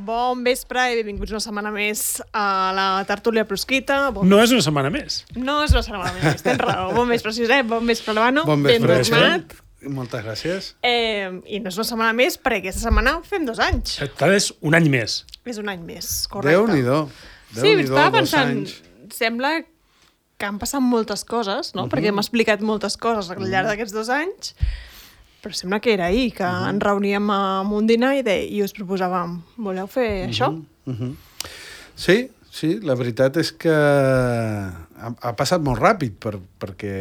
Bon vespre i benvinguts una setmana més a la tertúlia prosquita. No és una setmana més. No és una setmana més, tens raó. Bon vespre, Josep, bon vespre, Albano. Bon vespre, tornat. Moltes gràcies. I no és una setmana més perquè aquesta setmana fem 2 anys. Tal és un any més. És un any més, correcte. Déu-n'hi-do. Sí, estava pensant, sembla que han passat moltes coses, no? Perquè hem explicat moltes coses al llarg d'aquests 2 anys, però sembla que era ahir, que ens reuníem amb un dinar i us proposàvem, voleu fer això? Sí, la veritat és que ha passat molt ràpid perquè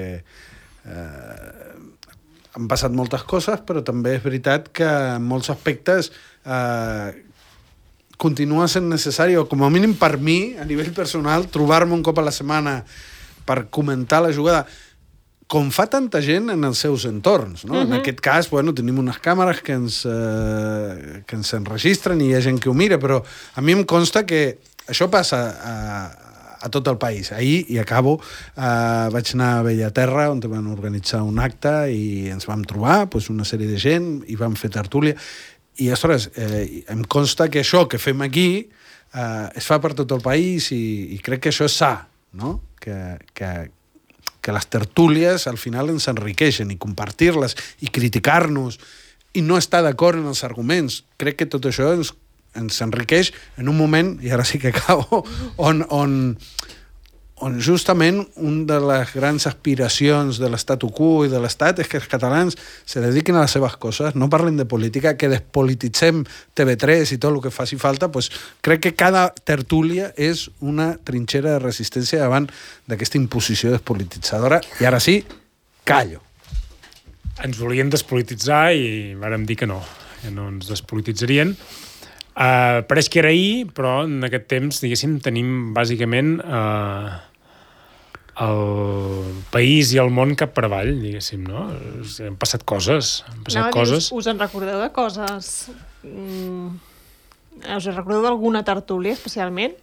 han passat moltes coses, però també és veritat que en molts aspectes continua sent necessari, o com a mínim per mi, a nivell personal, trobar-me un cop a la setmana per comentar la jugada, com fa tanta gent en els seus entorns, no? En aquest cas, tenim unes càmeres que ens enregistren i hi ha gent que ho mira, però a mi em consta que això passa a tot el país. Ahir, i acabo, vaig anar a Bellaterra, on van organitzar un acte i ens vam trobar una sèrie de gent i vam fer tertúlia. I, ostres, em consta que això que fem aquí es fa per tot el país i crec que això és sa, no? Que les tertúlies al final ens enriqueixen i compartir-les i criticar-nos i no estar d'acord en els arguments. Crec que tot això ens enriqueix en un moment, i ara sí que acabo, on justament una de les grans aspiracions de l'estatu quo i de l'Estat és que els catalans se dediquin a les seves coses, no parlin de política, que despolititzem TV3 i tot el que faci falta. Crec que cada tertúlia és una trinxera de resistència davant d'aquesta imposició despolititzadora. I ara sí, callo. Ens volien despolititzar i vàrem dir que no ens despolititzarien. Pareix que era ahir, però en aquest temps, diguéssim, tenim bàsicament el país i el món cap per avall, diguéssim, no? Han passat coses. Us en recordeu de coses? Us en recordeu d'alguna tertúlia, especialment?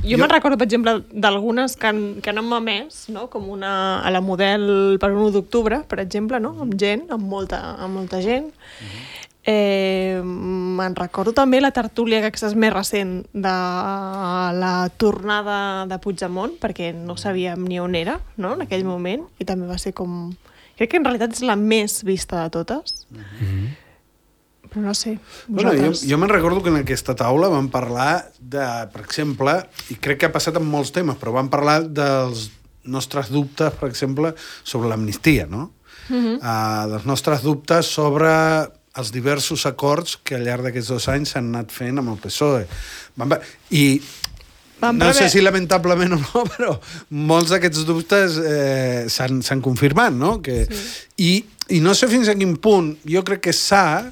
Jo me'n recordo, per exemple, d'algunes que no m'ha emès, no? Com a la Model per 1 d'octubre, per exemple, no? Amb gent, amb molta gent. Me'n recordo també la tertúlia, que aquesta és més recent, de la tornada de Puigdemont, perquè no sabíem ni on era, no? En aquell moment, i també va ser com... Crec que en realitat és la més vista de totes. Però no sé, vosaltres... Jo me'n recordo que en aquesta taula vam parlar de, per exemple, i crec que ha passat amb molts temes, però vam parlar dels nostres dubtes, per exemple, sobre l'amnistia, no? Dels nostres dubtes sobre els diversos acords que al llarg d'aquests 2 anys s'han anat fent amb el PSOE. I no sé si lamentablement o no, però molts d'aquests dubtes s'han confirmat, no? I no sé fins a quin punt jo crec que s'ha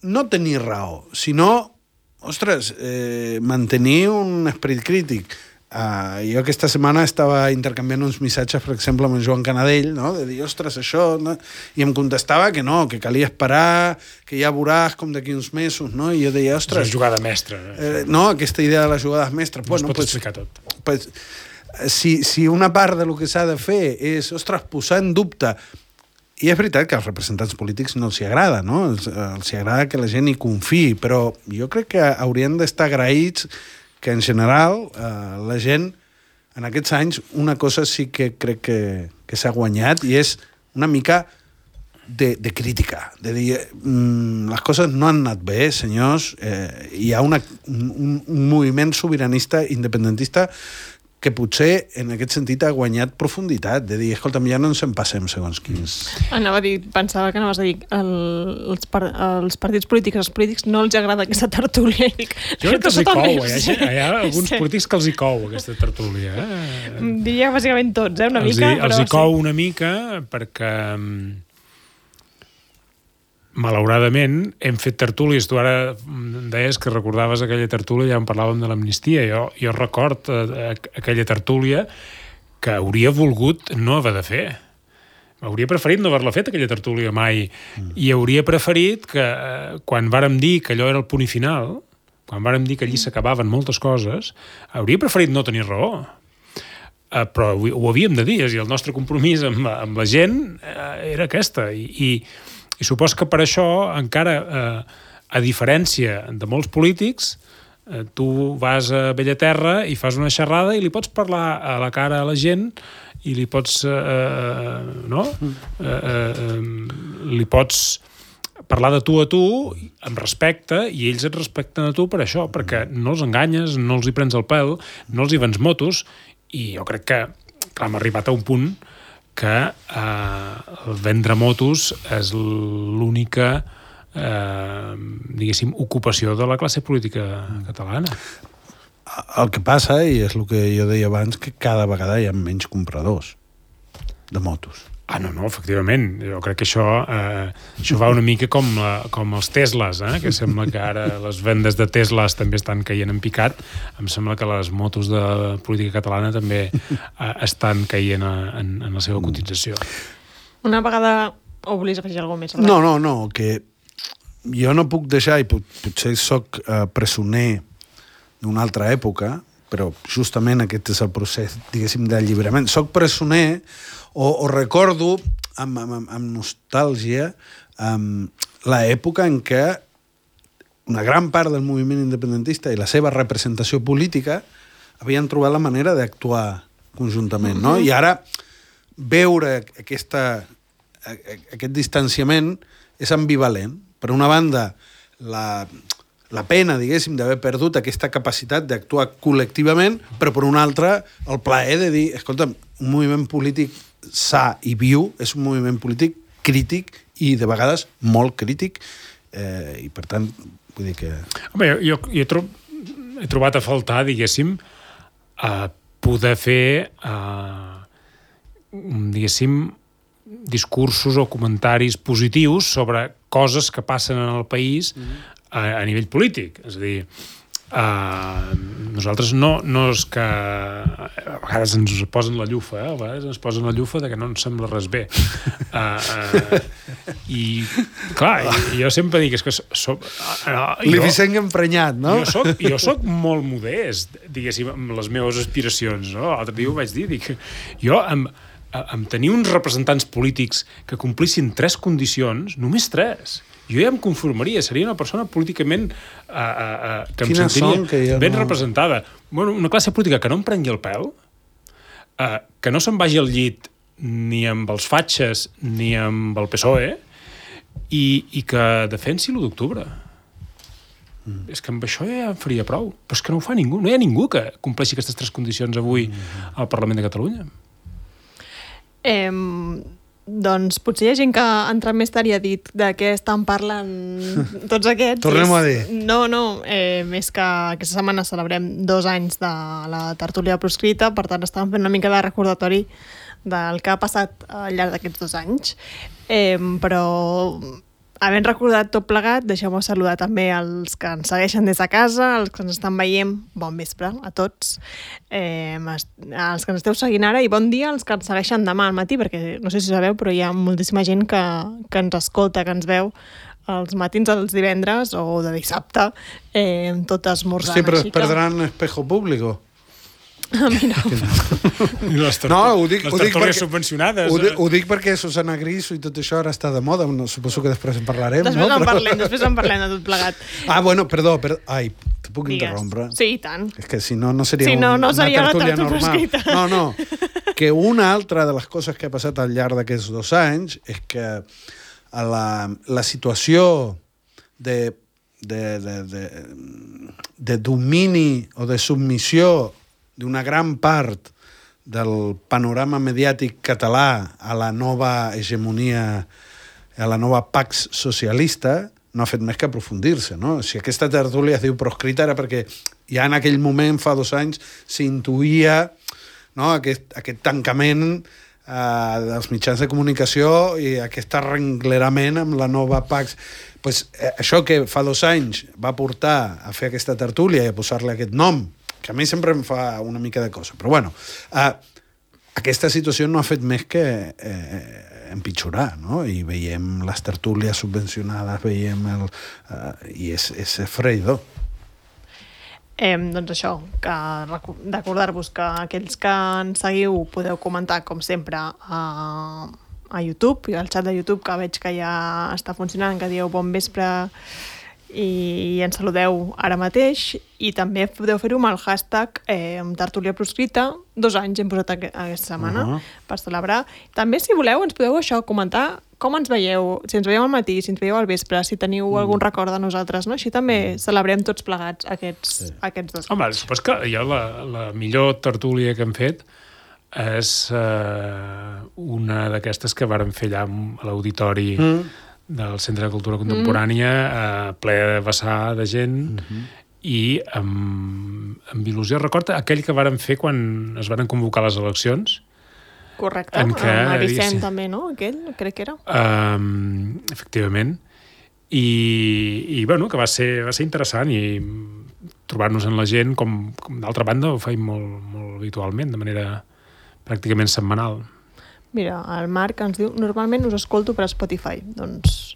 no tenir raó, sinó, ostres, mantenir un esperit crític. Jo aquesta setmana estava intercanviant uns missatges, per exemple, amb en Joan Canadell, no? De dir, ostres, això... No? I em contestava que no, que calia esperar, que ja veuràs com d'aquí uns mesos, no? I jo deia, ostres... És una jugada mestra. No, aquesta idea de les jugades mestres. No es pot explicar tot. Si una part del que s'ha de fer és, ostres, posar en dubte... I és veritat que als representants polítics no els agrada, no? Els agrada que la gent hi confiï, però jo crec que haurien d'estar agraïts que en general la gent en aquests anys una cosa sí que crec que s'ha guanyat i és una mica de crítica, de dir les coses no han anat bé, senyors, hi ha un moviment sobiranista independentista que potser en aquest sentit ha guanyat profunditat, de dir, escolta'm, ja no ens en passem segons quins... Pensava que anaves a dir els partits polítics, als polítics no els agrada aquesta tertúlia. Jo crec que els hi cou, hi ha alguns polítics que els hi cou aquesta tertúlia. Diria bàsicament tots, una mica. Els hi cou una mica perquè... Malauradament, hem fet tertúlies. Tu ara deies que recordaves aquella tertúlia, ja en parlàvem de l'amnistia. Jo record aquella tertúlia que hauria volgut no haver de fer. hauria preferit no haver-la fet, aquella tertúlia, mai. I hauria preferit que, quan vàrem dir que allò era el punt i final, quan vàrem dir que allí s'acabaven moltes coses, hauria preferit no tenir raó. Però ho havíem de dir, i el nostre compromís amb la gent era aquesta. I supos que per això, encara, a diferència de molts polítics, tu vas a Bellaterra i fas una xerrada i li pots parlar a la cara a la gent i li pots li pots parlar de tu a tu amb respecte, i ells et respecten a tu per això, perquè no els enganyes, no els hi prens el pèl, no els hi vens motos, i jo crec que, clar, hem arribat a un punt que vendre motos és l'única diguéssim, ocupació de la classe política catalana. El que passa, i és el que jo deia abans, que cada vegada hi ha menys compradors de motos. No, efectivament. Jo crec que això va una mica com els Teslas, que sembla que ara les vendes de Teslas també estan caient en picat. Em sembla que les motos de la política catalana també estan caient en la seva cotització. Una vegada, o volies afegir alguna cosa més? No, que jo no puc deixar, i potser soc presoner d'una altra època, però justament aquest és el procés, diguéssim, d'alliberament. Soc presoner o recordo amb nostàlgia l'època en què una gran part del moviment independentista i la seva representació política havien trobat la manera d'actuar conjuntament, no? I ara veure aquest distanciament és ambivalent. Per una banda, la pena, diguéssim, d'haver perdut aquesta capacitat d'actuar col·lectivament, però per una altra, el plaer de dir, escolta'm, un moviment polític sa i viu és un moviment polític crític i de vegades molt crític, i per tant, vull dir que... Home, jo he trobat a faltar, diguéssim, poder fer, diguéssim, discursos o comentaris positius sobre coses que passen en el país a nivell polític. És a dir, nosaltres no és que a vegades ens posen la llufa, a vegades ens posen la llufa de que no ens sembla res bé. I, clar, jo sempre dic és que L'Ivicenc emprenyat, no? Jo soc molt modest, diguéssim, amb les meves aspiracions, no? L'altre dia ho vaig dir, dic, jo amb tenir uns representants polítics que complissin 3 condicions, només 3, jo ja em conformaria, seria una persona políticament que em sentiria ben representada. Bueno, una classe política que no em prengui el pèl, que no se'n vagi al llit ni amb els fatxes ni amb el PSOE, i que defensi l'1 d'octubre. És que amb això ja en faria prou. Però és que no ho fa ningú. No hi ha ningú que compleixi aquestes 3 condicions avui al Parlament de Catalunya. Doncs potser hi ha gent que ha entrat més tard i ha dit de què estan parlant tots aquests. Tornem a dir. No, més que aquesta setmana celebrem 2 anys de la tertúlia proscrita, per tant estàvem fent una mica de recordatori del que ha passat al llarg d'aquests 2 anys. Però havent recordat tot plegat, deixeu-me saludar també els que ens segueixen des de casa, els que ens estan veient, bon vespre a tots, els que ens esteu seguint ara, i bon dia als que ens segueixen demà al matí, perquè no sé si sabeu, però hi ha moltíssima gent que ens escolta, que ens veu els matins dels divendres o de dissabte, tot esmorzant. Sí, però es perdran espejo público. Mira. Les tertúlies subvencionades. Ho dic perquè Susana Griso i tot això ara està de moda. Suposo que després en parlarem. Després en parlem de tot plegat. Bueno, perdó. Ai, te puc interrompre? Sí, i tant. És que si no seria una tertúlia normal. No. Que una altra de les coses que ha passat al llarg d'aquests 2 anys és que la situació de domini o de submissió d'una gran part del panorama mediàtic català a la nova hegemonia, a la nova pax socialista, no ha fet més que aprofundir-se, no? Si aquesta tertúlia es diu proscrita era perquè ja en aquell moment, fa 2 anys, s'intuïa, no, aquest tancament dels mitjans de comunicació i aquest arrenglerament amb la nova pax. Pues, això que fa 2 anys va portar a fer aquesta tertúlia i a posar-li aquest nom, que a mi sempre em fa una mica de cosa. Però bueno, aquesta situació no ha fet més que empitjorar, no? I veiem les tertúlies subvencionades, veiem i és esfereïdor. Doncs això, que recordar-vos que aquells que ens seguiu podeu comentar, com sempre, a YouTube, i al xat de YouTube, que veig que ja està funcionant, que dieu bon vespre i ens saludeu ara mateix, i també podeu fer-ho amb el hashtag tertúlia proscrita. 2 anys hem posat aquesta setmana per celebrar. També, si voleu, ens podeu comentar com ens veieu, si ens veieu al matí, si ens veieu al vespre, si teniu algun record de nosaltres, no? Així també celebrem tots plegats aquests 2 anys. Home, supos que jo la millor tertúlia que hem fet és una d'aquestes que vàrem fer allà a l'auditori del Centre de Cultura Contemporània, ple de vessar de gent, i amb il·lusió. Recorda aquell que vàrem fer quan es van convocar les eleccions? Correcte, amb Vicent també, no? Aquell, crec que era. Efectivament. I bueno, que va ser interessant, i trobar-nos en la gent, com d'altra banda ho feim molt habitualment, de manera pràcticament setmanal. Mira, el Marc ens diu, normalment us escolto per Spotify, doncs,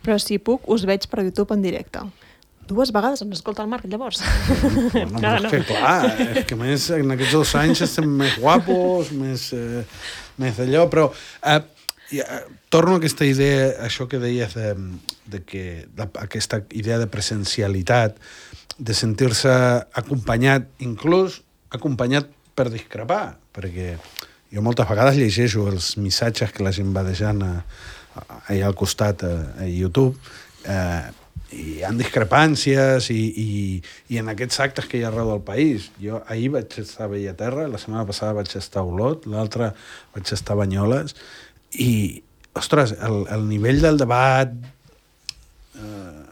però si puc us veig per YouTube en directe. 2 vegades ens escolta el Marc, llavors. No. És que clar, és que més en aquests 2 anys estem més guapos, més d'allò, però torno a aquesta idea, això que deies aquesta idea de presencialitat, de sentir-se acompanyat, inclús acompanyat per discrepar, perquè jo moltes vegades llegeixo els missatges que la gent va deixant allà al costat a YouTube, i hi ha discrepàncies i en aquests actes que hi ha arreu del país. Jo ahir vaig estar a Bellaterra, la setmana passada vaig estar a Olot, l'altra vaig estar a Banyoles, i, ostres, el nivell del debat,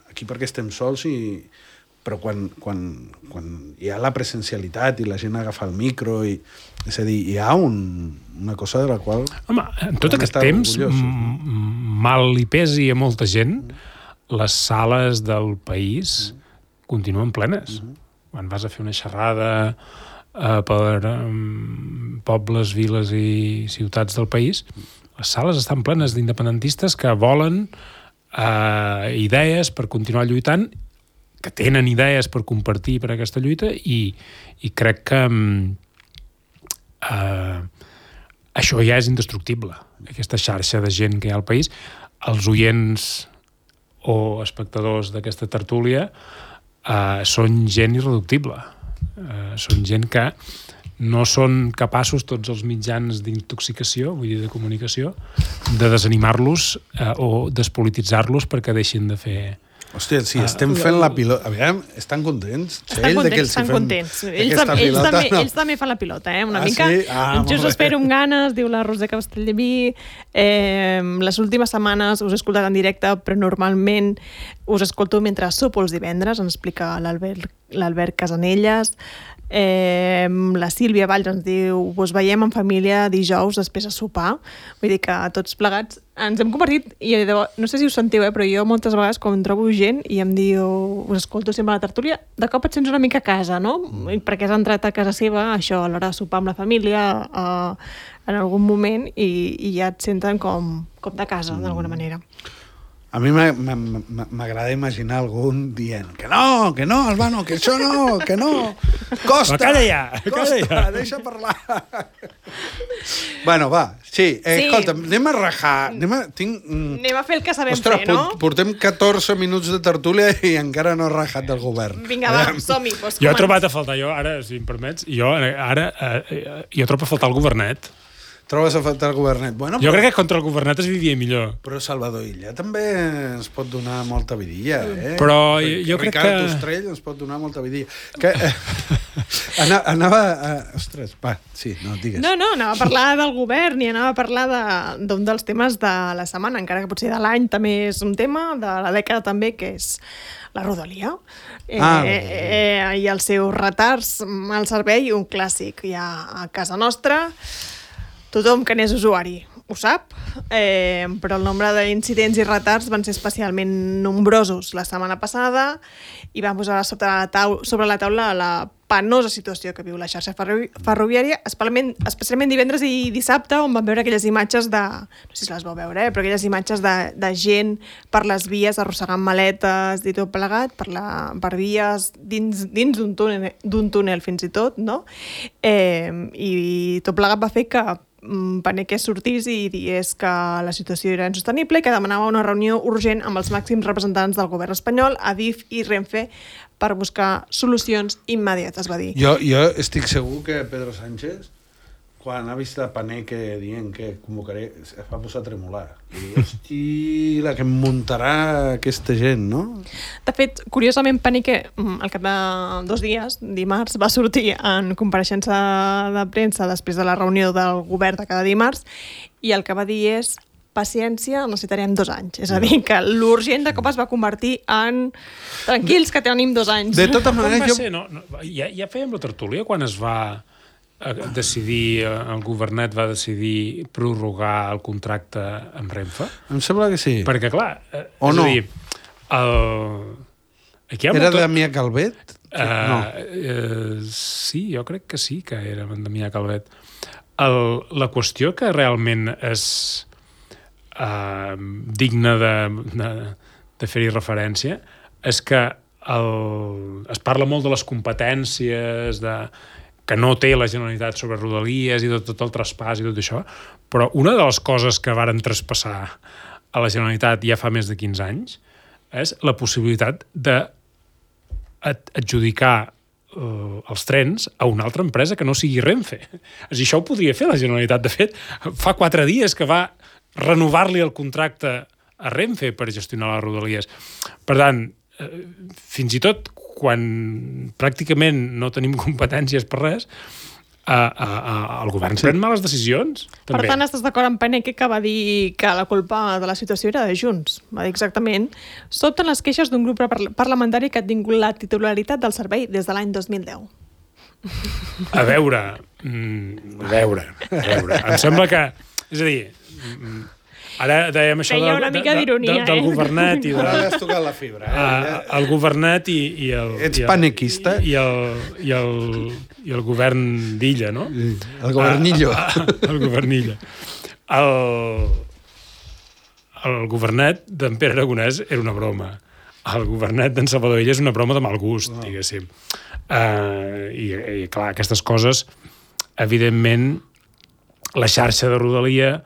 aquí perquè estem sols, però quan hi ha la presencialitat i la gent agafa el micro, és a dir, hi ha una cosa de la qual... Home, en tot aquest temps, mal li pesi a molta gent, les sales del país continuen plenes. Quan vas a fer una xerrada per pobles, viles i ciutats del país, les sales estan plenes d'independentistes que volen idees per continuar lluitant, que tenen idees per compartir per aquesta lluita, i crec que això ja és indestructible, aquesta xarxa de gent que hi ha al país. Els oients o espectadors d'aquesta tertúlia són gent irreductible. Són gent que no són capaços tots els mitjans d'intoxicació, vull dir de comunicació, de desanimar-los o despolititzar-los perquè deixin de fer... Hòstia, si estem fent la pilota... Aviam, estan contents? Estan contents. Ells també fan la pilota, una mica. Sí? Jo us espero amb ganes, diu la Roser Castellví. Les últimes setmanes us he escoltat en directe, però normalment us escolto mentre sopo els divendres, ens explica l'Albert Casanelles. La Sílvia Valls ens diu us veiem en família dijous després de sopar. Vull dir que tots plegats ens hem convertit, i no sé si us sentiu, però jo moltes vegades quan trobo gent i em diu, us escolto sempre a la tertúlia, de cop et sents una mica a casa, no? Perquè has entrat a casa seva, això, a l'hora de sopar amb la família, en algun moment, i ja et senten com de casa, d'alguna manera. A mi m'agrada imaginar algun dient que no, Albano, que això no, que no. Costa, Costa, deixa parlar. Bueno, va, sí. Escolta, anem a rajar. Anem a fer el que sabem fer, no? Portem 14 minuts de tertúlia i encara no he rajat del govern. Vinga, va, som-hi. Jo he trobat a faltar, si em permets, jo trobo a faltar el governet. Trobes a faltar el governet. Bueno, jo crec que contra el governet es vivia millor. Però Salvador Illa també ens pot donar molta vidilla, Però jo crec que... Ricard Ostrell ens pot donar molta vidilla. Anava a... Ostres, va, sí, no, digues. No, anava a parlar del govern i anava a parlar d'un dels temes de la setmana, encara que potser de l'any també és un tema, de la dècada també, que és la Rodalia. I els seus retards al servei, un clàssic ja a casa nostra. Tothom que n'és usuari ho sap, però el nombre d'incidents i retards van ser especialment nombrosos la setmana passada i van posar sobre la taula la penosa situació que viu la xarxa ferroviària, especialment divendres i dissabte, on vam veure aquelles imatges de... No sé si les vau veure, però aquelles imatges de gent per les vies arrossegant maletes i tot plegat, per vies dins d'un túnel fins i tot, no? I tot plegat va fer que Paneque sortís i digués que la situació era insostenible i que demanava una reunió urgent amb els màxims representants del govern espanyol, Adif i Renfe, per buscar solucions immediates, va dir. Jo estic segur que Pedro Sánchez, quan ha vist a Paneque dient que convocaré, es va posar a tremolar. I diu, hosti, la que em muntarà aquesta gent, no? De fet, curiosament, Paneque, al cap de 2 dies, dimarts, va sortir en compareixença de premsa després de la reunió del govern de cada dimarts i el que va dir és paciència, necessitarem 2 anys. És a dir, que l'urgent de cop es va convertir en tranquils, que tenim 2 anys. De totes maneres, ja fèiem la tertúlia quan es va decidir, el governet va decidir prorrogar el contracte amb Renfe? Em sembla que sí. Perquè, clar, o és no? a dir, aquí era Damià Calvet? No. Sí, jo crec que sí que era Damià Calvet. La qüestió que realment és digna de fer-hi referència és que es parla molt de les competències, que no té la Generalitat sobre Rodalies i tot el traspàs i tot això, però una de les coses que varen traspassar a la Generalitat ja fa més de 15 anys és la possibilitat d'adjudicar els trens a una altra empresa que no sigui Renfe. És a dir, això ho podria fer la Generalitat. De fet, fa 4 dies que va renovar-li el contracte a Renfe per gestionar les Rodalies. Per tant, fins i tot quan pràcticament no tenim competències per res, el govern pren males decisions. Per tant, estàs d'acord amb Paneque, que va dir que la culpa de la situació era de Junts. Va dir exactament: sobten les queixes d'un grup parlamentari que ha tingut la titularitat del servei des de l'any 2010. A veure. Em sembla que... És a dir... Ara dèiem això del governet i ara has tocat la fibra. El governet i el... Ets panequista? I el govern d'Illa, no? El governillo. El governillo. El governet d'en Pere Aragonès era una broma. El governet d'en Salvador Illa és una broma de mal gust, diguéssim. I clar, aquestes coses, evidentment, la xarxa de Rodalia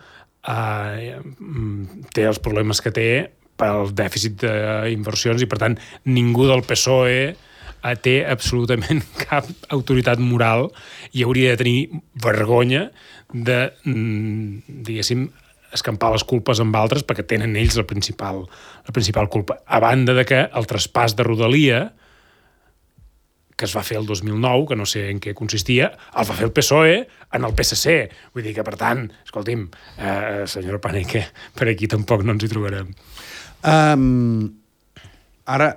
té els problemes que té pel dèficit d'inversions i, per tant, ningú del PSOE té absolutament cap autoritat moral i hauria de tenir vergonya de, diguéssim, escampar les culpes amb altres perquè tenen ells la principal culpa. A banda de que el traspàs de Rodalia, que es va fer el 2009, que no sé en què consistia, el va fer el PSOE en el PSC. Vull dir que, per tant, escolti'm, senyora Paneque, per aquí tampoc no ens hi trobarem. Ara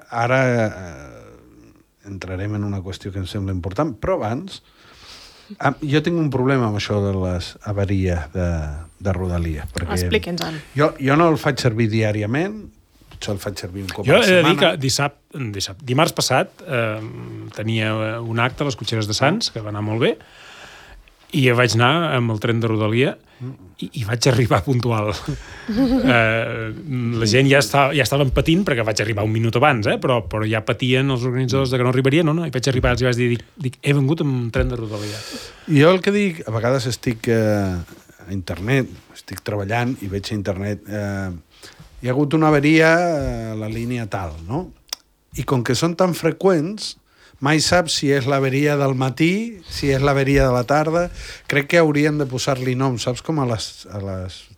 entrarem en una qüestió que em sembla important, però abans jo tinc un problema amb això de les avaries de Rodalia. Expliqui'ns-el. Jo no el faig servir diàriament, el faig servir un cop a la setmana. Jo he de dir que dimarts passat tenia un acte a les Cotxeres de Sants, que va anar molt bé, i vaig anar amb el tren de Rodalia i vaig arribar puntual. La gent ja estaven patint, perquè vaig arribar un minut abans, però ja patien els organitzadors de que no arribaria, no? I vaig arribar i vaig dir, he vengut amb un tren de Rodalia. Jo el que dic, a vegades estic a internet, estic treballant i veig a internet... hi ha hagut una avaria a la línia tal, no? I com que són tan freqüents, mai saps si és l'averia del matí, si és l'averia de la tarda. Crec que haurien de posar-li nom, saps, com a les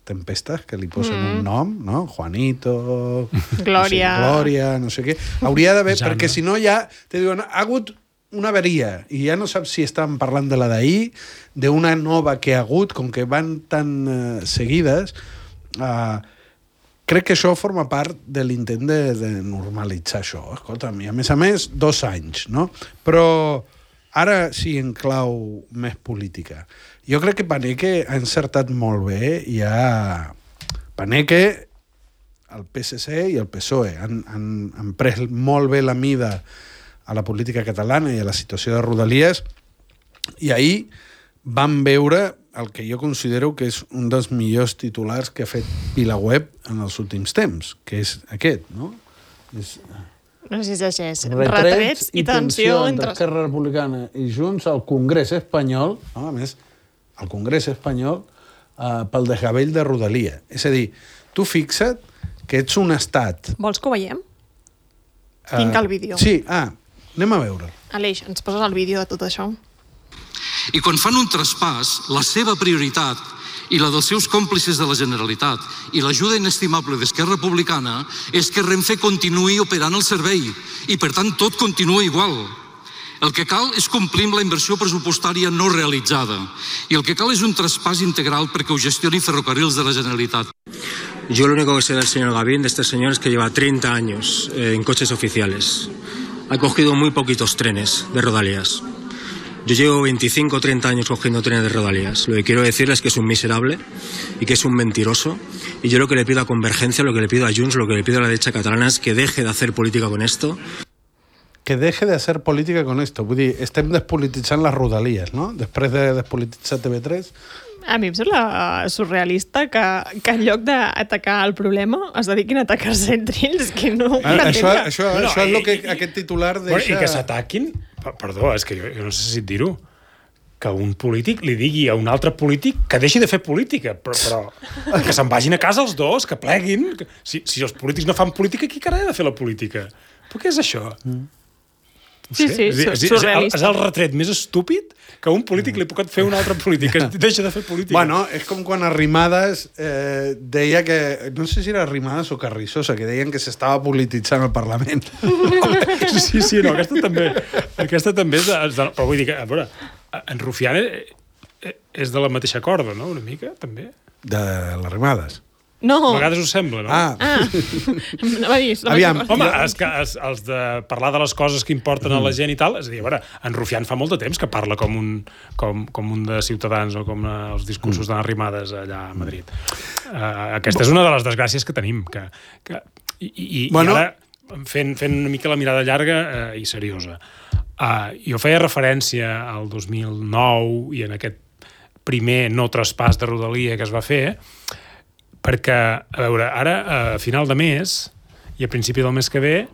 tempestes, que li posen un nom, no? Juanito... Glòria, no sé què. Hauria d'haver, perquè si no ja te diuen, ha hagut una avaria, i ja no saps si estan parlant de la d'ahir, d'una nova que ha hagut, com que van tan seguides... Crec que això forma part de l'intent de normalitzar això. Escolta'm, i a més, 2 anys, no? Però Ara sí, en clau més política. Jo crec que Paneque ha encertat molt bé. Paneque, el PSC i el PSOE han pres molt bé la mida a la política catalana i a la situació de Rodalies, i ahir vam veure el que jo considero que és un dels millors titulars que ha fet VilaWeb en els últims temps, que és aquest, no? No sé si és així. Retrets i tensió entre Esquerra Republicana i Junts al Congrés espanyol, no? A més, al Congrés espanyol, pel desgavell de Rodalia. És a dir, tu fixa't que ets un estat... Vols que ho veiem? Tinc el vídeo. Sí, anem a veure. Aleix, ens poses el vídeo de tot això? I quan fan un traspàs, la seva prioritat i la dels seus còmplices de la Generalitat i l'ajuda inestimable d'Esquerra Republicana és que Renfe continuï operant el servei i, per tant, tot continua igual. El que cal és complir amb la inversió pressupostària no realitzada i el que cal és un traspàs integral perquè ho gestioni Ferrocarrils de la Generalitat. Yo lo único que sé del señor Gavín, de este señor, es que lleva 30 años en coches oficiales. Ha cogido muy poquitos trenes de Rodalías. Yo llevo 25 o 30 años cogiendo trenes de Rodalías. Lo que quiero decirles es que es un miserable y que es un mentiroso. Y yo lo que le pido a Convergencia, lo que le pido a Junts, lo que le pido a la derecha catalana es que deje de hacer política con esto. Que deje de hacer política con esto. Vull dir, estem despolititzant les Rodalies, no? Després de despolititzar TV3... A mi em sembla surrealista que en lloc d'atacar el problema es dediquin a atacar-se entre ells, que no... Això és el que aquest titular deixa... I que s'ataquin... Perdó, és que jo no sé si dir-ho. Que un polític li digui a un altre polític que deixi de fer política, però que se'n vagin a casa els dos, que pleguin. Si els polítics no fan política, qui carai ha de fer la política? Però què és això? Sí, surrealista. És el retret més estúpid que un polític li pot fer a un altre polític, que deixa de fer política. Bueno, és com quan Arrimadas deia que... No sé si era Arrimadas o Carrizosa, que deien que s'estava polititzant el Parlament. Sí, no, aquesta també és... Però vull dir que, a veure, en Rufián és de la mateixa corda, no?, una mica, també. De l'Arrimadas. No. A vegades us sembla, no? Va dir, aviam. Home, els de parlar de les coses que importen a la gent i tal, és a dir, a veure, en Rufián fa molt de temps que parla com un de Ciutadans o com els discursos de Arrimadas allà a Madrid. Aquesta és una de les desgràcies que tenim. I ara, fent una mica la mirada llarga i seriosa, jo feia referència al 2009 i en aquest primer no traspàs de Rodalia que es va fer, perquè, a veure, ara, a final de mes i a principi del mes que ve,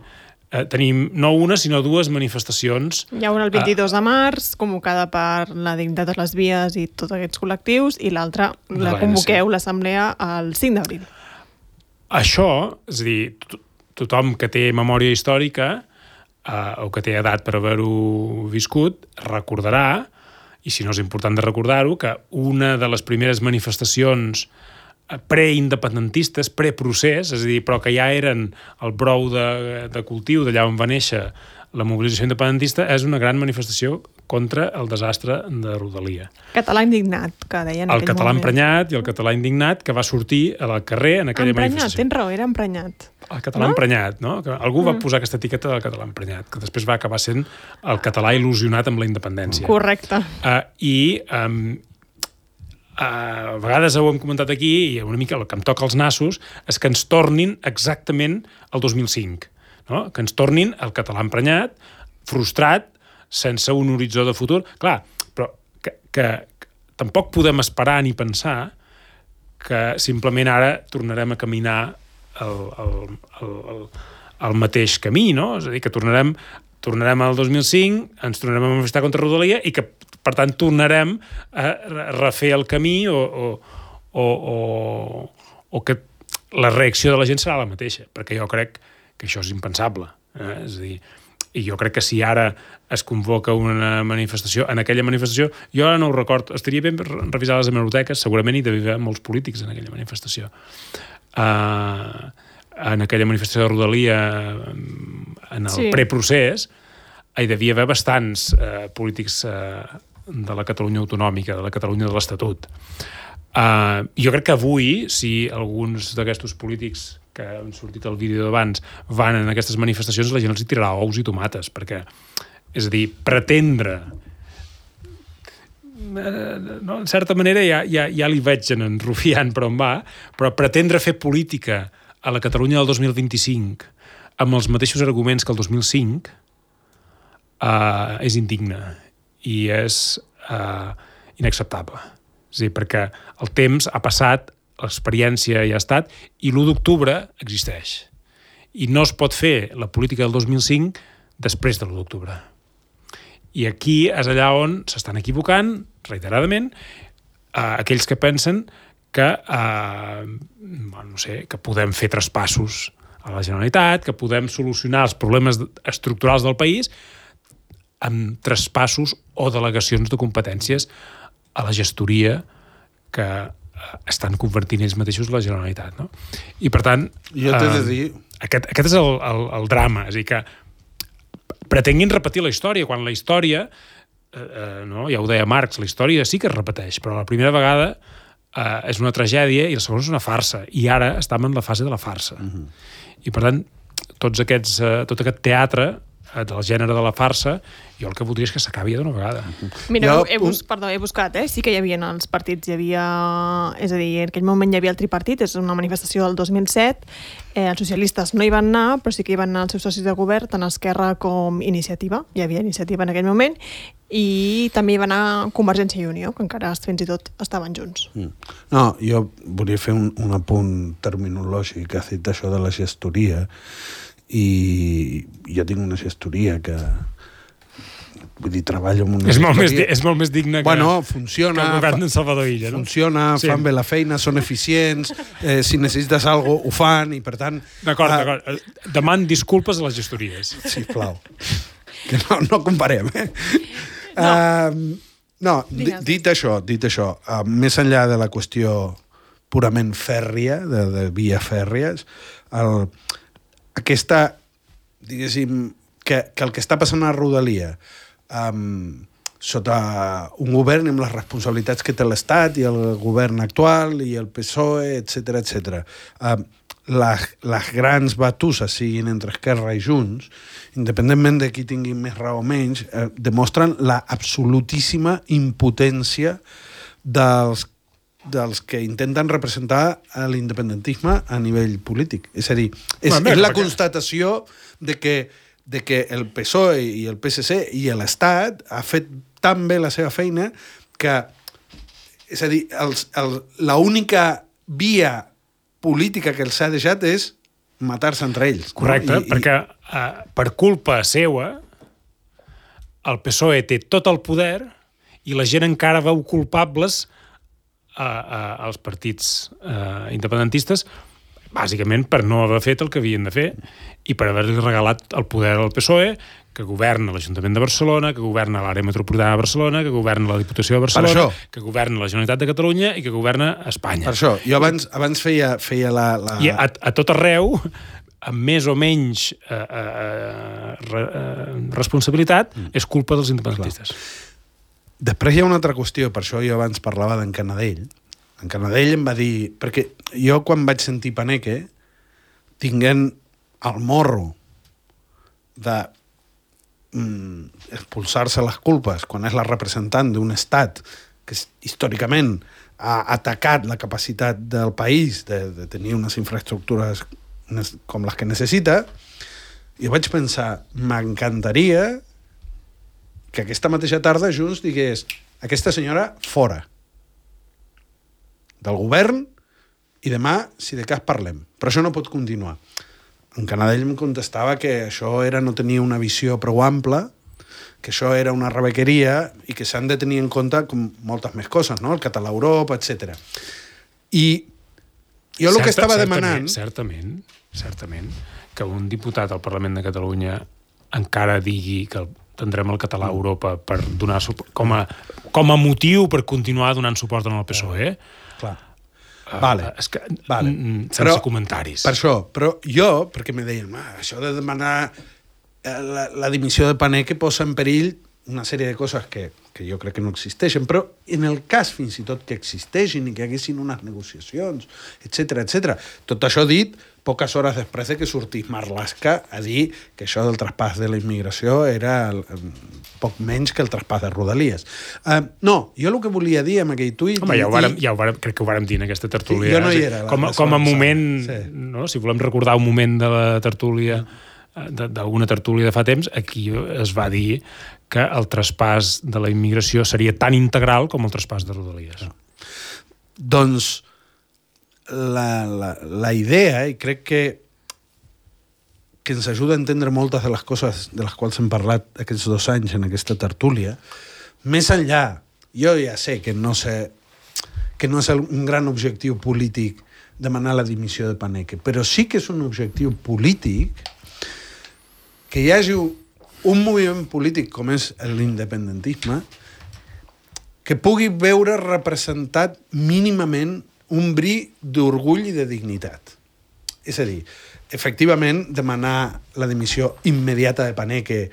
tenim no una, sinó dues manifestacions. Hi ha una el 22 de març, convocada per la Dignitat de les Vies i tots aquests col·lectius, i l'altra la convoqueu, l'assemblea, el 5 d'abril. Això, és a dir, tothom que té memòria històrica o que té edat per haver-ho viscut, recordarà, i si no és important de recordar-ho, que una de les primeres manifestacions preindependentistes, preprocés, és a dir, però que ja eren el brou de cultiu d'allà on va néixer la mobilització independentista, és una gran manifestació contra el desastre de Rodalia. Català indignat, que deien en aquell moment. El català emprenyat i el català indignat que va sortir al carrer en aquella manifestació. Tens raó, era emprenyat. El català emprenyat, no? Que algú va posar aquesta etiqueta del català emprenyat, que després va acabar sent el català il·lusionat amb la independència. Correcte. A vegades ho hem comentat aquí, i una mica el que em toca els nassos és que ens tornin exactament al 2005, no? Que ens tornin el català emprenyat, frustrat, sense un horitzó de futur. Clar, però que tampoc podem esperar ni pensar que simplement ara tornarem a caminar el mateix camí, no? És a dir, que tornarem al 2005, ens tornarem a manifestar contra Rodalia i que, per tant, tornarem a refer el camí o que la reacció de la gent serà la mateixa, perquè jo crec que això és impensable. És a dir, i jo crec que si ara es convoca una manifestació, en aquella manifestació, jo ara no ho recordo, estaria bé revisar les hemeroteques, segurament hi devia haver molts polítics en aquella manifestació. En aquella manifestació de Rodalia, en el preprocés, hi devia haver bastants polítics de la Catalunya autonòmica, de la Catalunya de l'Estatut. Jo crec que avui, si alguns d'aquests polítics que han sortit al vídeo d'abans van en aquestes manifestacions, la gent els hi tirarà ous i tomates, perquè, és a dir, pretendre no, en certa manera ja li veig en Rufián per on va, però pretendre fer política a la Catalunya del 2025 amb els mateixos arguments que el 2005 és indigne i és inacceptable. És a dir, perquè el temps ha passat, l'experiència ja ha estat, i l'1 d'octubre existeix. I no es pot fer la política del 2005 després de l'1 d'octubre. I aquí és allà on s'estan equivocant, reiteradament, aquells que pensen que, que podem fer traspassos a la Generalitat, que podem solucionar els problemes estructurals del país amb traspassos o delegacions de competències a la gestoria que estan convertint ells mateixos la Generalitat. No? I, per tant, jo t'he de dir... Aquest és el drama. És a dir, que pretenguin repetir la història, quan la història, no, ja ho deia Marx, la història sí que es repeteix, però la primera vegada és una tragèdia i la segona és una farsa. I ara estem en la fase de la farsa. I, per tant, tot aquest teatre del gènere de la farsa, jo el que voldria és que s'acabi d'una vegada. Mira, he buscat, sí que hi havia els partits, és a dir, en aquell moment hi havia el tripartit, és una manifestació del 2007, els socialistes no hi van anar, però sí que hi van anar els seus socis de govern, tant Esquerra com Iniciativa, hi havia Iniciativa en aquell moment, i també hi va anar Convergència i Unió, que encara fins i tot estaven junts. No, jo volia fer un apunt terminològic, has dit això de la gestoria, i jo tinc una gestoria que vull dir, treballo amb una gestoria... És molt més digne que funciona, que el govern d'en Salvador Illa, no? Funciona, sí. Fan bé la feina, són eficients, si necessites alguna cosa ho fan, i per tant... D'acord. Deman disculpes a les gestories. Sisplau. Que no comparem, Dit això, més enllà de la qüestió purament fèrria, de vies fèrries, aquesta, diguéssim, que el que està passant a Rodalia sota un govern amb les responsabilitats que té l'Estat i el govern actual i el PSOE, etc. Les grans batusses siguin entre Esquerra i Junts, independentment de qui tingui més raó o menys, demostren la absolutíssima impotència dels que intenten representar l'independentisme a nivell polític. És a dir, és la constatació de que el PSOE i el PSC i l'Estat ha fet tan bé la seva feina que, és a dir, l'única via política que els ha deixat és matar-se entre ells. Correcte, no? Perquè per culpa seva el PSOE té tot el poder i la gent encara veu culpables als partits independentistes, bàsicament per no haver fet el que havien de fer i per haver-li regalat el poder al PSOE, que governa l'Ajuntament de Barcelona, que governa l'àrea metropolitana de Barcelona, que governa la Diputació de Barcelona, que governa la Generalitat de Catalunya i que governa Espanya. Per això, jo abans feia la... I a tot arreu, amb més o menys responsabilitat, és culpa dels independentistes. Després hi ha una altra qüestió, per això jo abans parlava d'en Canadell. En Canadell em va dir... Perquè jo quan vaig sentir Paneque, tinguent el morro de expulsar-se les culpes quan és la representant d'un estat que històricament ha atacat la capacitat del país de tenir unes infraestructures com les que necessita, jo vaig pensar, m'encantaria que aquesta mateixa tarda Junts digués aquesta senyora fora del govern i demà, si de cas, parlem. Però això no pot continuar. En Canadell em contestava que això no tenia una visió prou ampla, que això era una rebequeria i que s'han de tenir en compte com moltes més coses, no? El català a Europa, etc. I jo el que estava demanant... Certament, que un diputat al Parlament de Catalunya encara digui que tindrem el català a Europa per donar com a motiu per continuar donant suport al PSOE. Clar. Vale. Sense comentaris. Per això, però jo, perquè me deien, això de demanar la dimissió de Paneque posa en perill una sèrie de coses que jo crec que no existeixen, però en el cas fins i tot que existeixin i que haguessin unes negociacions, etc. Tot això dit poques hores després de que sortís Marlaska a dir que això del traspàs de la immigració era poc menys que el traspàs de Rodalies. No, jo el que volia dir amb aquell tuit... Home, crec que ho vàrem dir en aquesta tertúlia. Jo no hi era. Com a moment, no? Si volem recordar un moment de la tertúlia, d'alguna tertúlia de fa temps, aquí es va dir que el traspàs de la immigració seria tan integral com el traspàs de Rodalies. Doncs la idea, i crec que ens ajuda a entendre moltes de les coses de les quals hem parlat aquests 2 anys en aquesta tertúlia, més enllà, jo ja sé que no és un gran objectiu polític demanar la dimissió de Paneque, però sí que és un objectiu polític que hi hagi un moviment polític com és l'independentisme que pugui veure representat mínimament un bri d'orgull i de dignitat. És a dir, efectivament, demanar la dimissió immediata de Paneque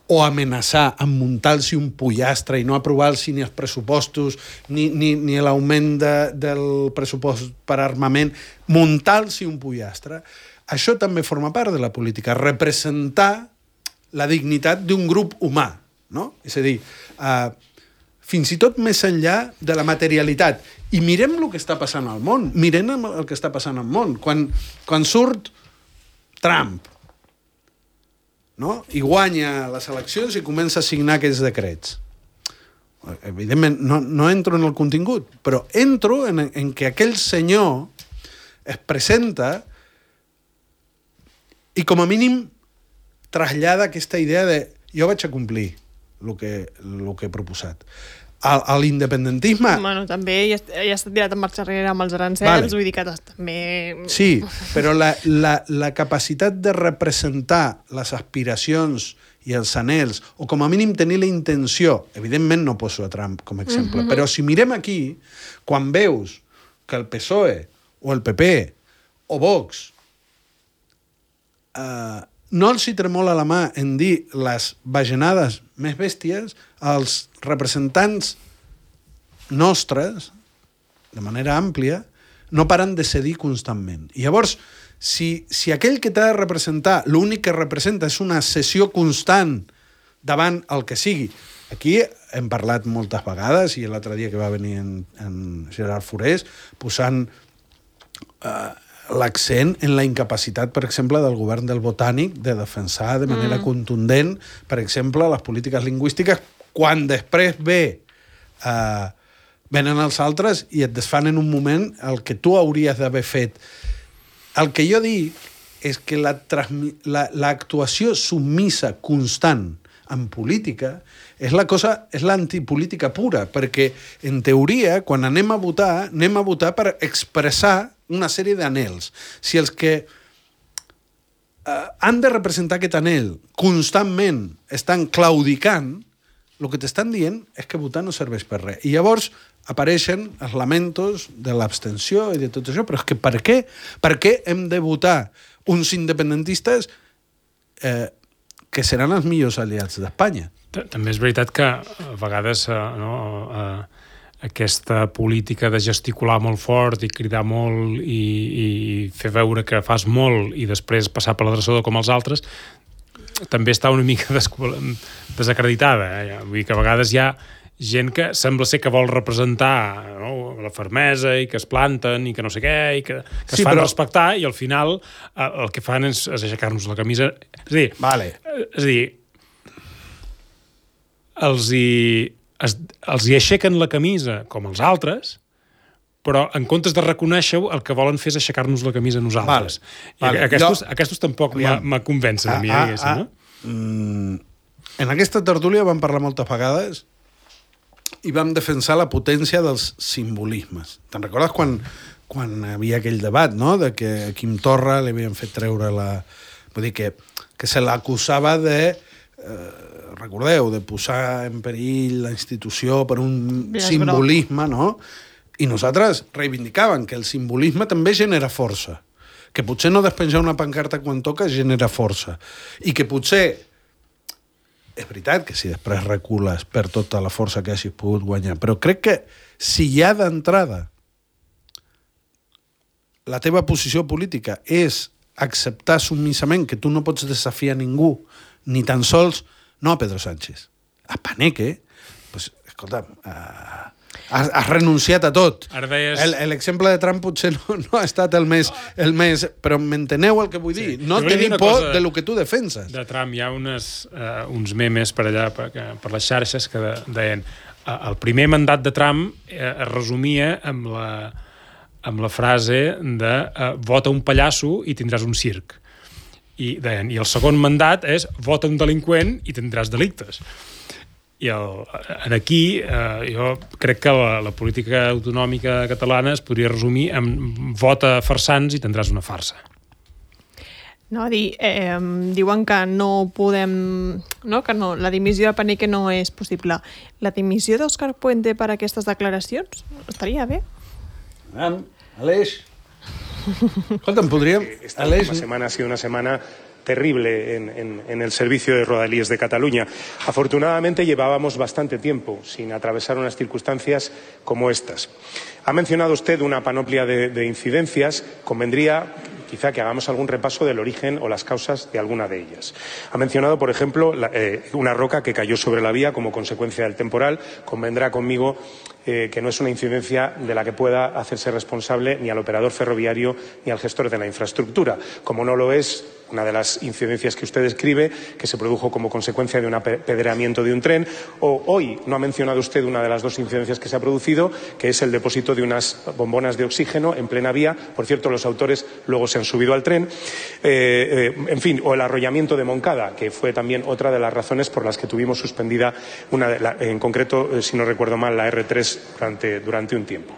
o amenaçar amb muntar-se un pollastre i no aprovar-se ni els pressupostos ni l'augment del pressupost per armament, muntar-se un pollastre, això també forma part de la política, representar la dignitat d'un grup humà, no? És a dir, fins i tot més enllà de la materialitat. I mirem el que està passant al món. Mirem el que està passant al món. Quan surt Trump, no? I guanya les eleccions i comença a signar aquests decrets. Evidentment, no entro en el contingut, però entro en que aquell senyor es presenta i com a mínim trasllada aquesta idea de jo vaig a complir el que he proposat. A l'independentisme... Bueno, també ja està tirat en marxa enrere amb els arancels, vull dir que també... Sí, però la capacitat de representar les aspiracions i els anhels, o com a mínim tenir la intenció, evidentment no poso a Trump com a exemple, però si mirem aquí, quan veus que el PSOE o el PP o Vox no els hi tremola la mà en dir les bajanades més bèsties, els representants nostres, de manera àmplia, no paren de cedir constantment. I llavors, si aquell que t'ha de representar, l'únic que representa és una cessió constant davant el que sigui, aquí hem parlat moltes vegades, i l'altre dia que va venir en Gerard Forés, posant l'accent en la incapacitat, per exemple, del govern del Botànic de defensar de manera contundent, per exemple, les polítiques lingüístiques, quan després venen els altres i et desfan en un moment el que tu hauries d'haver fet. El que jo dic és que l'actuació submissa constant en política és l'antipolítica pura, perquè, en teoria, quan anem a votar per expressar una sèrie d'anhels. Si els que han de representar aquest anhel constantment estan claudicant, el que t'estan dient és que votar no serveix per res. I llavors apareixen els lamentos de l'abstenció i de tot això, però és que per què? Per què hem de votar uns independentistes que seran els millors aliats d'Espanya? També és veritat que a vegades aquesta política de gesticular molt fort i cridar molt i fer veure que fas molt i després passar per l'adreçador com els altres també està una mica desacreditada. Vull dir que a vegades hi ha gent que sembla ser que vol representar la fermesa i que es planten i que no sé què i que es fan respectar i al final el que fan és aixecar-nos la camisa. És a dir, els hi aixequen la camisa com els altres, però en comptes de reconèixer-ho, el que volen fer és aixecar-nos la camisa a nosaltres. Aquestos tampoc me convencen a mi, diguéssim, no? En aquesta tertúlia vam parlar moltes vegades i vam defensar la potència dels simbolismes. Te'n recordes quan hi havia aquell debat, no?, de que a Quim Torra li havien fet treure Vull dir que se l'acusava de... recordeu, de posar en perill la institució per un simbolisme, no? I nosaltres reivindicàvem que el simbolisme també genera força, que potser no despenjar una pancarta quan toca genera força, i que potser És veritat que si després recules per tota la força que hagis pogut guanyar, però crec que si ja d'entrada la teva posició política és acceptar submissament que tu no pots desafiar ningú, ni tan sols, no a Pedro Sánchez, a Paneque, pues, escolta'm, has renunciat a tot. Ara deies... L'exemple de Trump potser no ha estat el més... Però m'enteneu el que vull dir? No tenir por de lo que tu defenses. De Trump hi ha uns memes per allà, per les xarxes, que deien el primer mandat de Trump es resumia amb la frase de vota un pallasso i tindràs un circ. I deien, i el segon mandat és vota un delinqüent i tindràs delictes. I aquí jo crec que la política autonòmica catalana es podria resumir amb vota farsants i tindràs una farsa. No, diuen que no podem... No, que no, la dimissió de Paneque no és possible. La dimissió d'Òscar Puente per aquestes declaracions estaria bé? Aleix. Escolta'm, podríem... Esta última semana ha sido una semana terrible en el servicio de Rodalies de Cataluña. Afortunadamente llevábamos bastante tiempo sin atravesar unas circunstancias como estas. Ha mencionado usted una panoplia de incidencias. Convendría quizá que hagamos algún repaso del origen o las causas de alguna de ellas. Ha mencionado, por ejemplo, una roca que cayó sobre la vía como consecuencia del temporal. Convendrá conmigo que no es una incidencia de la que pueda hacerse responsable ni al operador ferroviario ni al gestor de la infraestructura, como no lo es una de las incidencias que usted describe, que se produjo como consecuencia de un apedreamiento de un tren, o hoy no ha mencionado usted una de las dos incidencias que se ha producido, que es el depósito de unas bombonas de oxígeno en plena vía. Por cierto, los autores luego se han subido al tren. En fin, o el arrollamiento de Moncada, que fue también otra de las razones por las que tuvimos suspendida, en concreto, si no recuerdo mal, la R3 durante un tiempo.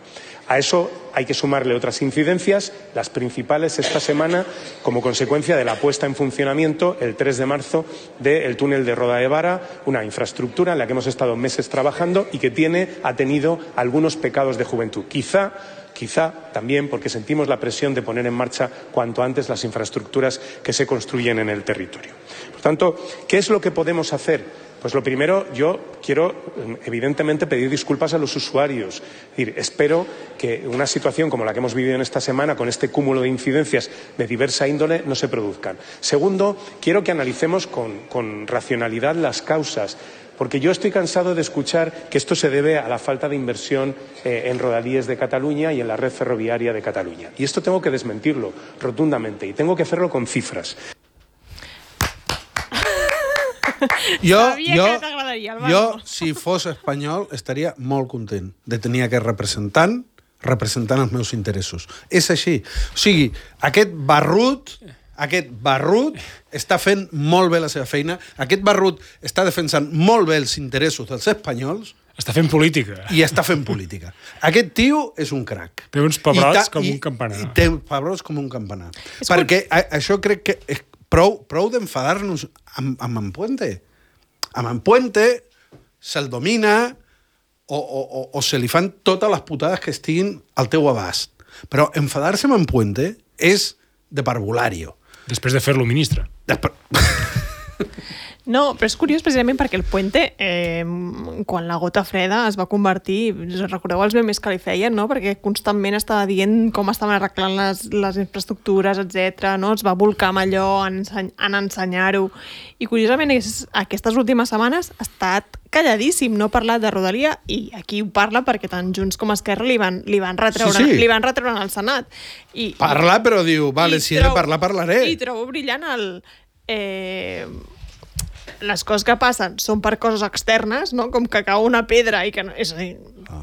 A eso hay que sumarle otras incidencias, las principales esta semana, como consecuencia de la puesta en funcionamiento el 3 de marzo del túnel de Roda de Vara, una infraestructura en la que hemos estado meses trabajando y que ha tenido algunos pecados de juventud. Quizá también porque sentimos la presión de poner en marcha cuanto antes las infraestructuras que se construyen en el territorio. Por tanto, ¿qué es lo que podemos hacer? Pues lo primero, yo quiero evidentemente pedir disculpas a los usuarios. Es decir, espero que una situación como la que hemos vivido en esta semana, con este cúmulo de incidencias de diversa índole, no se produzcan. Segundo, quiero que analicemos con racionalidad las causas, porque yo estoy cansado de escuchar que esto se debe a la falta de inversión en Rodalies de Cataluña y en la red ferroviaria de Cataluña. Y esto tengo que desmentirlo rotundamente y tengo que hacerlo con cifras. Jo, si fos espanyol, estaria molt content de tenir aquest representant els meus interessos. És així. O sigui, aquest barrut està fent molt bé la seva feina, aquest barrut està defensant molt bé els interessos dels espanyols. Està fent política. I està fent política. Aquest tio és un crac. Té uns pebrots com un campanar. I té pebrots com un campanar. Perquè això crec que és prou d'enfadar-nos amb en Puente. Amb en Puente se'l domina o se li fan totes les putades que estiguin al teu abast. Però enfadar-se amb en Puente és de parvulario. Després de fer-lo ministre. No, però és curiós precisament perquè el Puente, quan la gota freda es va convertir, recordeu els memes que li feien, no? Perquè constantment estava dient com estaven arreglant les infraestructures, etc. No? Es va volcar amb allò en ensenyar-ho. I curiosament aquestes últimes setmanes ha estat calladíssim, no ha parlat de Rodalia, i aquí ho parla perquè tant Junts com Esquerra li van retreure al Senat. Parla, però diu, vale, si he de parlar, parlaré. I trobo brillant les coses que passen són per coses externes, no? Com que cau una pedra i que no, és a dir,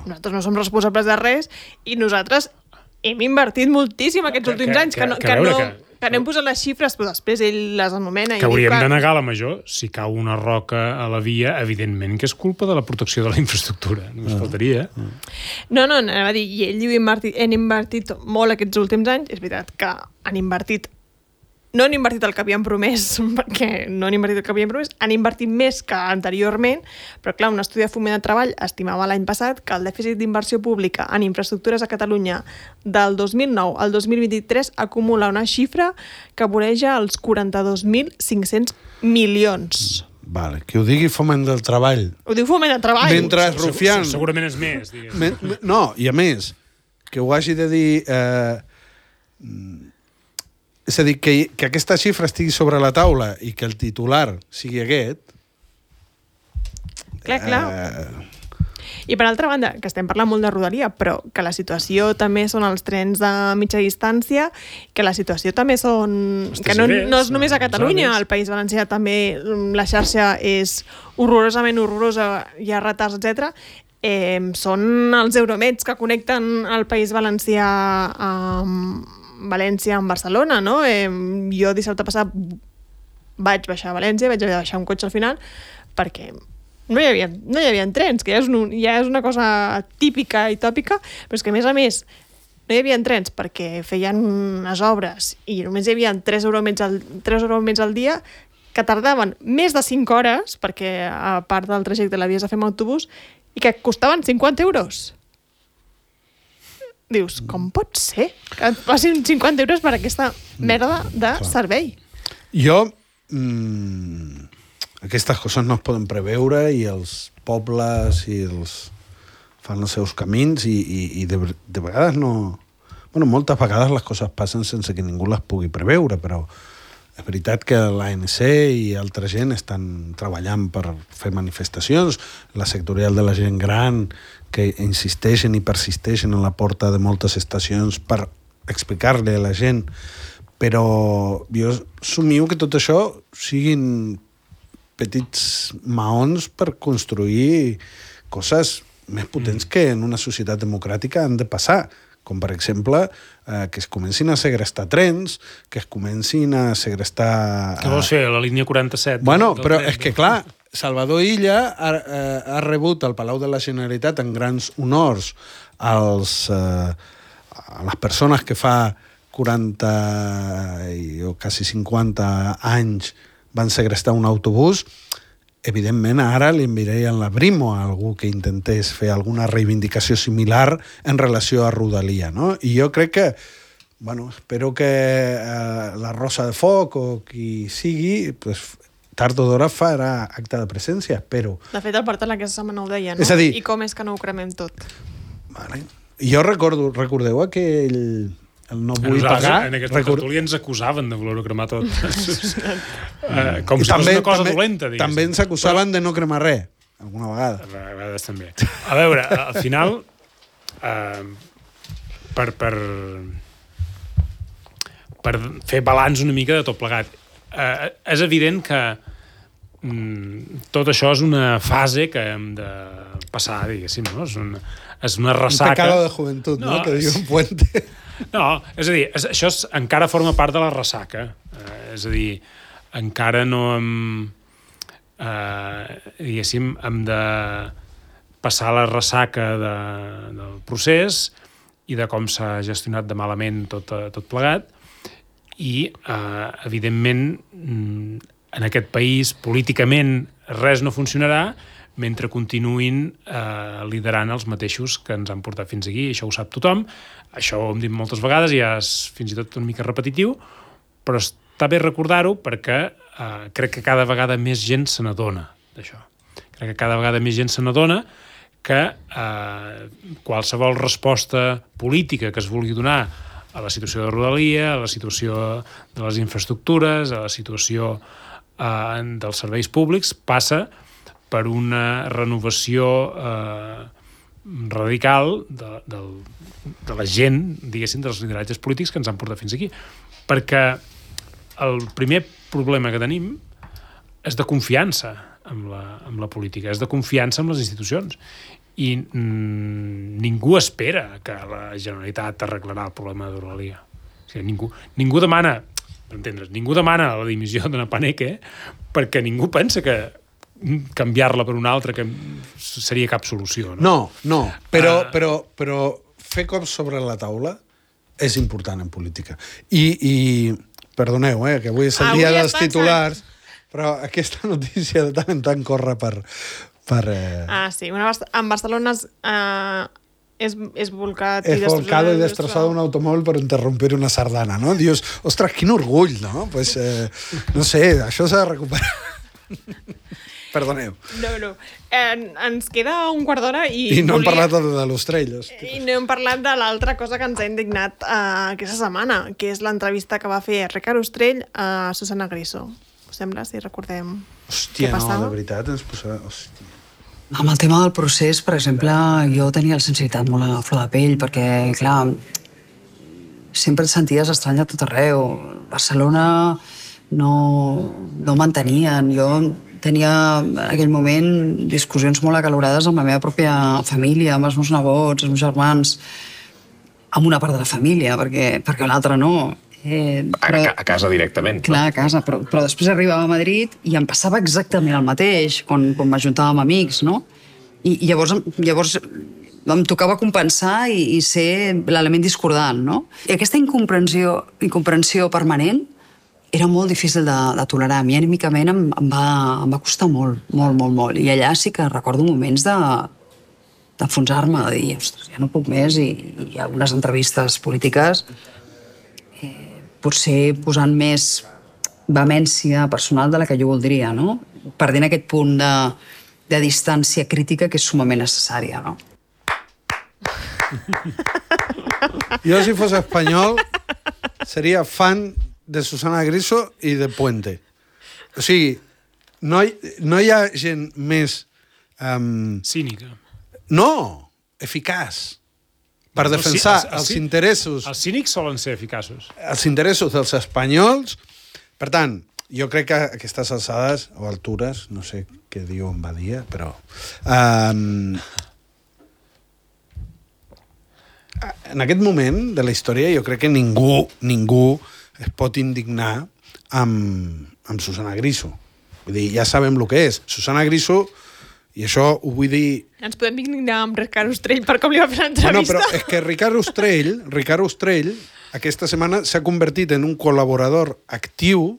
nosaltres no som responsables de res i nosaltres hem invertit moltíssim aquests últims anys que no hem posat les xifres, però després ell les anomena. Que hauríem de negar la major. Si cau una roca a la via, evidentment que és culpa de la protecció de la infraestructura. Només faltaria. No, anava a dir, i ell diu hem invertit molt aquests últims anys. És veritat que no han invertit el que havien promès, perquè no han invertit el que havien promès, han invertit més que anteriorment, però clar, un estudi de Foment de Treball estimava l'any passat que el dèficit d'inversió pública en infraestructures a Catalunya del 2009 al 2023 acumula una xifra que voreja els 42.500 milions. Vale, que ho digui Foment del Treball. Ho diu Foment del Treball. Mentre Rufián... Segurament és més, digues. No, i a més, que ho hagi de dir... és a dir, que aquesta xifra estigui sobre la taula i que el titular sigui aquest... Clar. I per altra banda, que estem parlant molt de Rodalia, però que la situació també són els trens de mitja distància, que la situació també són... que no és només a Catalunya, al País Valencià també la xarxa és horrorosament horrorosa, hi ha retards, etc. Són els Euromeds que connecten el País Valencià amb València amb Barcelona, no? Jo dissabte passat vaig baixar a València, vaig baixar un cotxe al final, perquè no hi havia trens, que ja és una cosa típica i tòpica, però és que a més no hi havia trens perquè feien unes obres i només hi havia 3 euromets al dia que tardaven més de 5 hores, perquè a part del trajecte l'havies de fer amb autobús, i que costaven 50 euros. Dius, com pot ser que et passin 50 euros per aquesta merda de servei? Jo... aquestes coses no es poden preveure i els pobles fan els seus camins i de vegades no... Bueno, moltes vegades les coses passen sense que ningú les pugui preveure, però és veritat que l'ANC i altra gent estan treballant per fer manifestacions, la sectorial de la gent gran, que insisteixen i persisteixen a la porta de moltes estacions per explicar-li a la gent, però jo somio que tot això siguin petits maons per construir coses més potents que en una societat democràtica han de passar, com per exemple que es comencin a segrestar trens, que es comencin a segrestar... Què vols fer, la línia 47? Bueno, però és que clar, Salvador Illa ha rebut al Palau de la Generalitat en grans honors a les persones que fa 40 o quasi 50 anys van segrestar un autobús. Evidentment, ara li enviarien la brimo a algú que intentés fer alguna reivindicació similar en relació a Rodalia, no? I jo crec que, bueno, espero que la Rosa de Foc o qui sigui, pues, tard o d'hora farà acte de presència, espero. De fet, el Bartal aquesta setmana ho deia, no? És a dir... I com és que no ho cremem tot? Vale. Jo recordeu aquell... El no vull pagar... En aquesta tertúlia ens acusaven de voler-ho cremar tot. Com si fos una cosa dolenta, diguéssim. També ens acusaven de no cremar res, alguna vegada. A vegades també. A veure, al final, per fer balanç una mica de tot plegat, és evident que tot això és una fase que hem de passar, diguéssim, no? És una ressaca... Un pecado de joventut, no? Que diu un puente... No, és a dir, això encara forma part de la ressaca. És a dir, encara no hem... diguéssim, hem de passar la ressaca del procés i de com s'ha gestionat de malament tot plegat i, evidentment, en aquest país, políticament, res no funcionarà mentre continuïn liderant els mateixos que ens han portat fins aquí. Això ho sap tothom, això ho hem dit moltes vegades i ja és fins i tot una mica repetitiu, però està bé recordar-ho perquè crec que cada vegada més gent se n'adona d'això. Crec que cada vegada més gent se n'adona que qualsevol resposta política que es vulgui donar a la situació de Rodalia, a la situació de les infraestructures, a la situació dels serveis públics, passa per una renovació radical de la gent, diguéssim, dels lideratges polítics que ens han portat fins aquí. Perquè el primer problema que tenim és de confiança amb la política, és de confiança en les institucions. I ningú espera que la Generalitat arreglarà el problema de Rodalia. O sigui, ningú demana, per entendre's, ningú demana la dimissió d'una Paneque perquè ningú pensa que canviar-la per una altra que seria cap solució. No, però fer cops sobre la taula és important en política. I perdoneu, que avui és el dia dels titulars, però aquesta notícia de tant en tant corre per... sí, en Barcelona es volcat y destrozado un automóvil por interrumpir una sardana, ¿no? Dios, ostras, quin orgull, no? Pues, no sé, això s'ha de recuperar. Perdoneu. No. Ens queda un quart d'hora I no hem parlat de l'Ostrell. I no hem parlat de l'altra cosa que ens ha indignat aquesta setmana, que és l'entrevista que va fer Ricard Ostrell a Susana Griso. Us sembla, si recordem Hòstia, què passava? no, de veritat, ens posava... Hòstia. Amb el tema del procés, per exemple, jo tenia la sensibilitat molt a flor de pell, perquè, clar, sempre et senties estrany a tot arreu. Barcelona no mantenien. Jo tenia en aquell moment discussions molt acalorades amb la meva pròpia família, amb els meus nebots, els meus germans, amb una part de la família, perquè l'altra no. A casa directament. Clar, a casa, però després arribava a Madrid i em passava exactament el mateix quan m'ajuntava amb amics, no? I llavors em tocava compensar i ser l'element discordant, no? I aquesta incomprensió permanent era molt difícil de tolerar. A mi, anímicament, em va costar molt. I allà sí que recordo moments d'enfonsar-me, de dir, ostres, ja no puc més, i algunes entrevistes polítiques potser posant més vehemència personal de la que jo voldria, no? Perdent aquest punt de distància crítica que és sumament necessària, no? Jo, si fos espanyol, seria fan de Susana Griso i de Puente. O sigui, no hi ha gent més... Cínica. No, eficaç. Per defensar els interessos... Els cínics solen ser eficaços. Els interessos dels espanyols. Per tant, jo crec que a aquestes alçades o altures, no sé què diu en Badia, però... en aquest moment de la història jo crec que ningú es pot indignar amb Susana Griso. Vull dir, ja sabem el que és. Susana Griso, i això ho vull dir... Ens podem indignar amb Ricard Ostrell per com li va fer l'entrevista. No, però és que Ricard Ostrell aquesta setmana s'ha convertit en un col·laborador actiu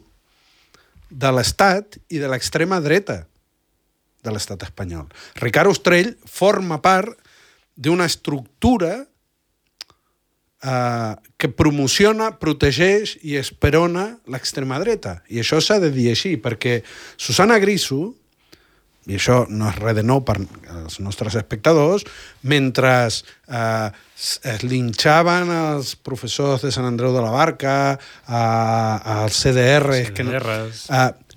de l'Estat i de l'extrema dreta de l'Estat espanyol. Ricard Ostrell forma part d'una estructura que promociona, protegeix i esperona l'extrema dreta. I això s'ha de dir així, perquè Susana Griso, i això no és res de nou per als nostres espectadors, mentre es linxaven els professors de Sant Andreu de la Barca, als CDRs,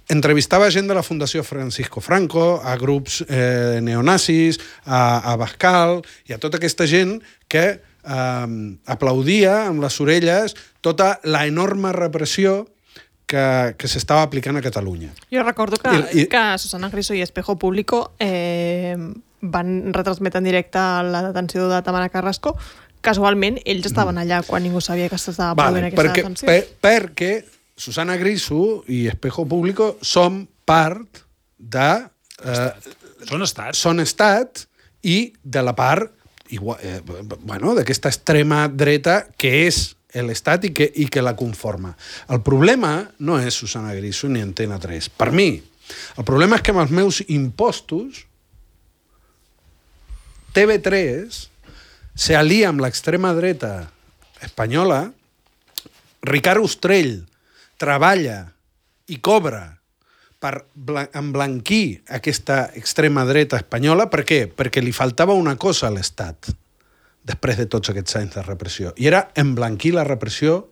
entrevistava gent de la Fundació Francisco Franco, a grups neonazis, a Bascal, i a tota aquesta gent que aplaudia amb les orelles tota la enorme repressió que s'estava aplicant a Catalunya. Jo recordo que Susana Griso i Espejo Público van retransmetre en directe la detenció de Tamara Carrasco. Casualment, ells estaven allà quan ningú sabia que s'estava produint aquesta detenció. Perquè Susana Griso i Espejo Público són part de... Són estat i de la part d'aquesta extrema dreta que és l'Estat i que la conforma. El problema no és Susana Griso ni Antena 3. Per mi, el problema és que amb els meus impostos TV3 s'alia amb l'extrema dreta espanyola, Ricard Ostrell treballa i cobra per emblanquir aquesta extrema dreta espanyola. Per què? Perquè li faltava una cosa a l'Estat després de tots aquests anys de repressió, i era emblanquir la repressió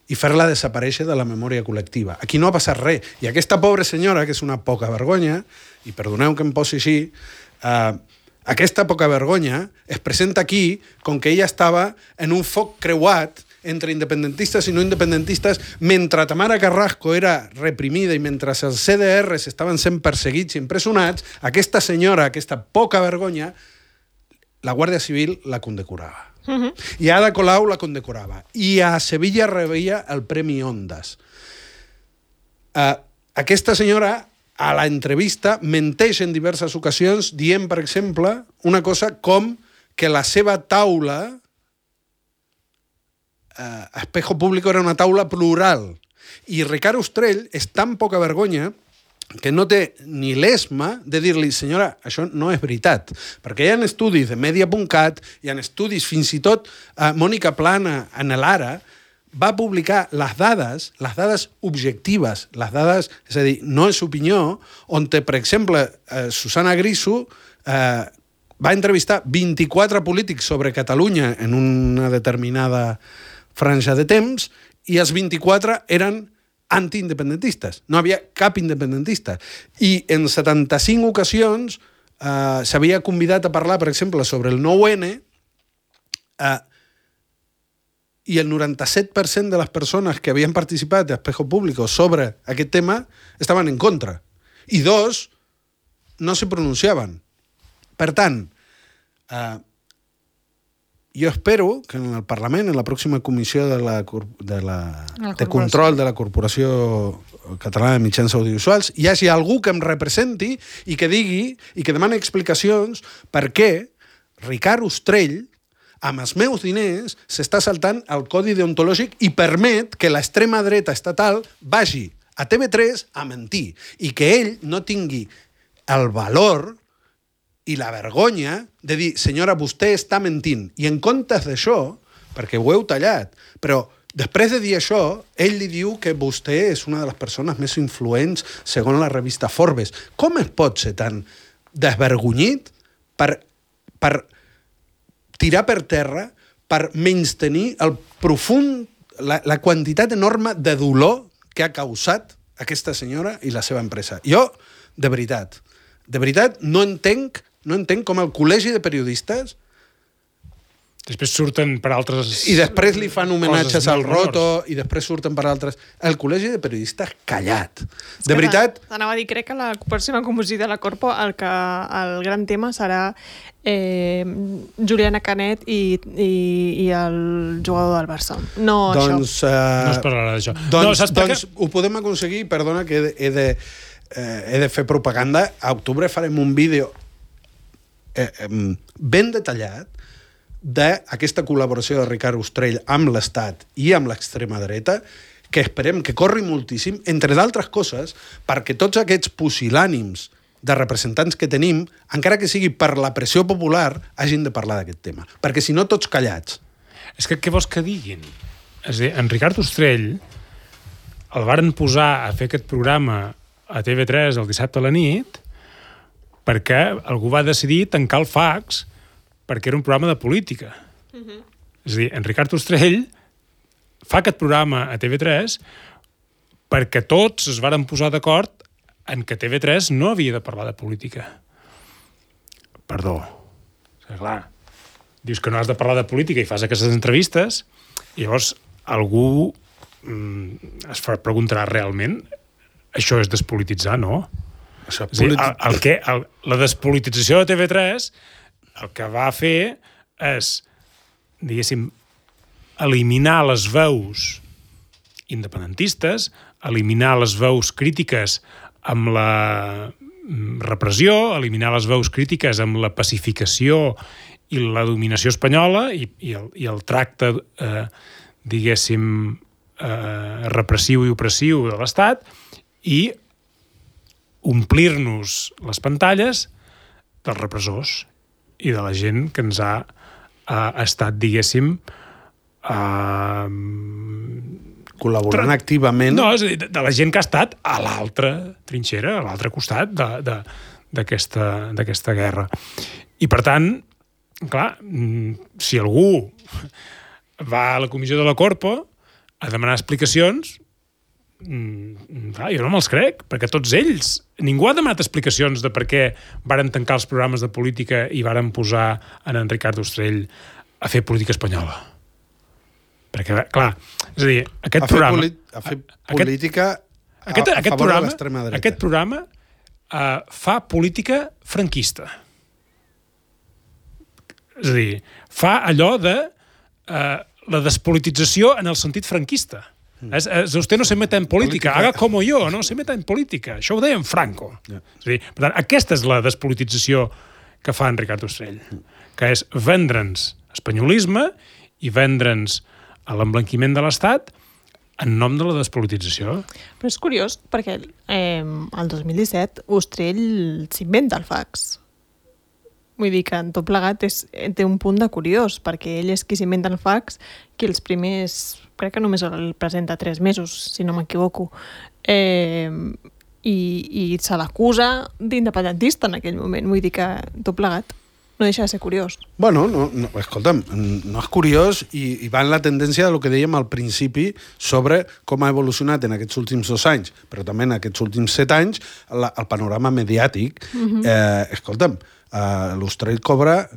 i fer-la desaparèixer de la memòria col·lectiva. Aquí no ha passat res. I aquesta pobra senyora, que és una poca vergonya, i perdoneu que em posi així, aquesta poca vergonya es presenta aquí com que ella estava en un foc creuat entre independentistes i no independentistes, mentre Tamara Carrasco era reprimida i mentre els CDRs estaven sent perseguits i empresonats, aquesta senyora, aquesta poca vergonya, la Guàrdia Civil la condecorava. I Ada Colau la condecorava. I a Sevilla rebia el Premi Ondas. Aquesta senyora, a la entrevista, menteix en diverses ocasions dient, per exemple, una cosa com que la seva taula Espejo Público era una taula plural. I Ricard Ostrell és tan poca vergonya que no té ni l'esma de dir-li, senyora, això no és veritat. Perquè hi ha estudis de Media.cat, hi ha estudis, fins i tot Mònica Plana en l'Ara, va publicar les dades objectives, les dades, és a dir, no és opinió, on, per exemple, Susana Griso va entrevistar 24 polítics sobre Catalunya en una determinada franja de temps i els 24 eren antiindependentistes. No havia cap independentista. I en 75 ocasions s'havia convidat a parlar, per exemple, sobre el 9-N i el 97% de les persones que havien participat d'Espejo Público sobre aquest tema estaven en contra. I 2 no se pronunciaven. Per tant, jo espero que en el Parlament, en la pròxima comissió de control de la Corporació Catalana de Mitjans Audiovisuals, hi hagi algú que em representi i que digui i que demani explicacions per què Ricard Ostrell, amb els meus diners, s'està saltant el codi deontològic i permet que l'extrema dreta estatal vagi a TV3 a mentir i que ell no tingui el valor i la vergonya de dir, senyora, vostè està mentint. I en comptes d'això, perquè ho heu tallat, però després de dir això, ell li diu que vostè és una de les persones més influents segons la revista Forbes. Com es pot ser tan desvergonyit per tirar per terra, per menystenir el profund, la quantitat enorme de dolor que ha causat aquesta senyora i la seva empresa? Jo, de veritat, no entenc com el col·legi de periodistes després surten per altres... I després li fan homenatges al Roto i després surten per altres... El col·legi de periodistes callat. De veritat... T'anava a dir, crec que la pròxima comissió de la Corpo el gran tema serà Juliana Canet i el jugador del Barça. No, doncs, no es parlarà d'això. Doncs ho podem aconseguir, perdona que he de fer propaganda. A octubre farem un vídeo ben detallat d'aquesta col·laboració de Ricard Ostrell amb l'Estat i amb l'extrema dreta, que esperem que corri moltíssim, entre d'altres coses, perquè tots aquests pusil·lànims de representants que tenim, encara que sigui per la pressió popular, hagin de parlar d'aquest tema. Perquè si no, tots callats. És que què vols que diguin? És a dir, en Ricard Ostrell el varen posar a fer aquest programa a TV3 el dissabte a la nit perquè algú va decidir tancar el fax perquè era un programa de política. És a dir, en Ricard Ostrell fa aquest programa a TV3 perquè tots es varen posar d'acord en que TV3 no havia de parlar de política. Perdó. És clar, dius que no has de parlar de política i fas aquestes entrevistes i llavors algú es preguntarà realment això és despolititzar, no? És a dir, la despolitització de TV3 el que va fer és, diguéssim, eliminar les veus independentistes, eliminar les veus crítiques amb la repressió, eliminar les veus crítiques amb la pacificació i la dominació espanyola i el tracte, diguéssim, repressiu i opressiu de l'Estat i omplir-nos les pantalles dels repressors i de la gent que ens ha estat, diguéssim, col·laborant activament. No, és a dir, de la gent que ha estat a l'altra trinxera, a l'altre costat d'aquesta guerra. I, per tant, clar, si algú va a la comissió de la Corpo a demanar explicacions, jo no me'ls crec, perquè tots ells, ningú ha demanat explicacions de per què varen tancar els programes de política i varen posar en Ricard Ostrell a fer política espanyola. Perquè, clar, és a dir, aquest programa... A fer política a favor de l'extrema dreta. Aquest programa fa política franquista. És a dir, fa allò de la despolitització en el sentit franquista. Usted no se meta en política, haga como yo, no se meta en política. Això ho deia en Franco. És a dir, per tant, aquesta és la despolitització que fa en Ricard Ostrell, que és vendre'ns espanyolisme i vendre'ns a l'emblanquiment de l'Estat en nom de la despolitització. Però és curiós, perquè el 2017 Ostrell s'inventa el fax. Vull dir que en tot plegat té un punt de curiós, perquè ell és qui s'inventa el fax, que els primers, crec que només el presenta 3 mesos, si no m'equivoco, i se l'acusa d'independentista en aquell moment. Vull dir que tot plegat no deixa de ser curiós. Bueno, escolta'm, no és curiós i va en la tendència del que dèiem al principi sobre com ha evolucionat en aquests últims 2 anys, però també en aquests últims 7 anys, el panorama mediàtic. Escolta'm, l'Austrell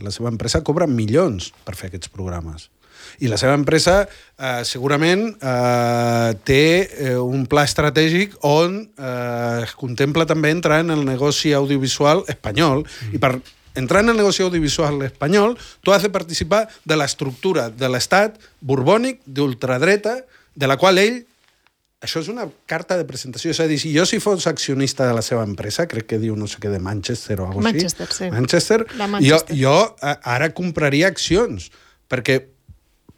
la seva empresa cobra milions per fer aquests programes. I la seva empresa segurament té un pla estratègic on es contempla també entrar en el negoci audiovisual espanyol. I per entrar en el negoci audiovisual espanyol, tu has de participar de l'estructura de l'estat borbònic d'ultradreta, de la qual ell... Això és una carta de presentació. És a dir, si jo fos accionista de la seva empresa, crec que diu no sé què de Manchester o alguna cosa així. Sí. Manchester. Jo ara compraria accions, perquè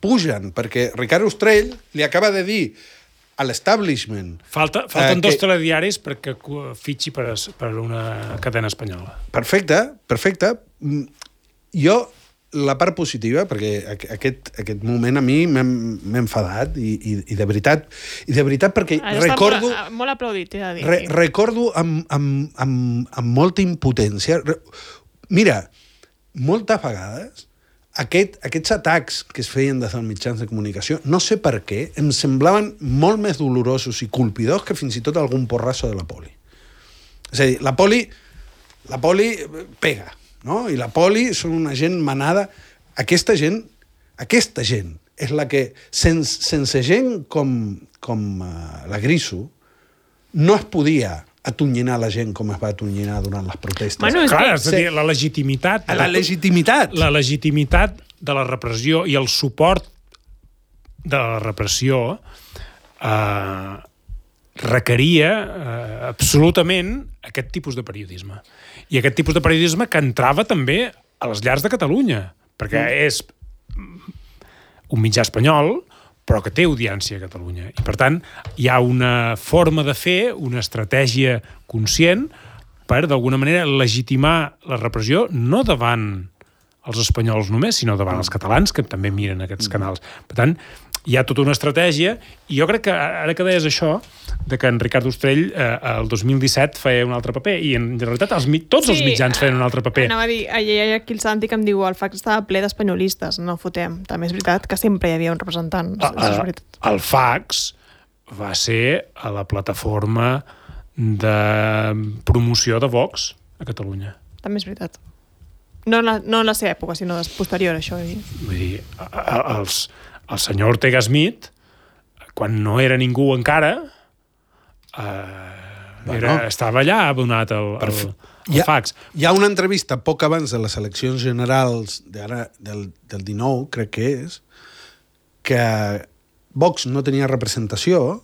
pugen, perquè Ricard Ostrell li acaba de dir a l'establishment... Falten 2 telediaris perquè fitxi per una cadena espanyola. Perfecte. Jo, la part positiva, perquè aquest moment a mi m'ha enfadat i de veritat perquè recordo... Molt aplaudit, he de dir. Recordo amb molta impotència. Mira, moltes vegades aquests atacs que es feien des dels mitjans de comunicació, no sé per què, em semblaven molt més dolorosos i colpidors que fins i tot algun porrasso de la poli. És a dir, la poli pega, no? I la poli són una gent manada. Aquesta gent és la que, sense gent com la Griso, no es podia atonyinar la gent com es va atonyinar durant les protestes. Clar, és a dir, la legitimitat... La legitimitat de la repressió i el suport de la repressió requeria absolutament aquest tipus de periodisme. I aquest tipus de periodisme que entrava també a les llars de Catalunya, perquè és un mitjà espanyol, però que té audiència a Catalunya. I, per tant, hi ha una forma de fer, una estratègia conscient per, d'alguna manera, legitimar la repressió, no davant els espanyols només, sinó davant els catalans, que també miren aquests canals. Per tant, hi ha tota una estratègia, i jo crec que, ara que deies això, de que en Ricard Ostrell el 2017 feia un altre paper, i en realitat tots els mitjans feien un altre paper. Anava a dir, aquí el Santi que em diu el fax estava ple d'espanyolistes, no fotem. També és veritat que sempre hi havia un representant. El fax va ser a la plataforma de promoció de Vox a Catalunya. També és veritat. No en la seva època, sinó posterior a això. Vull dir, el senyor Ortega Smith, quan no era ningú encara, estava allà abonat al fax. Hi ha una entrevista poc abans de les eleccions generals del 19, crec que és, que Vox no tenia representació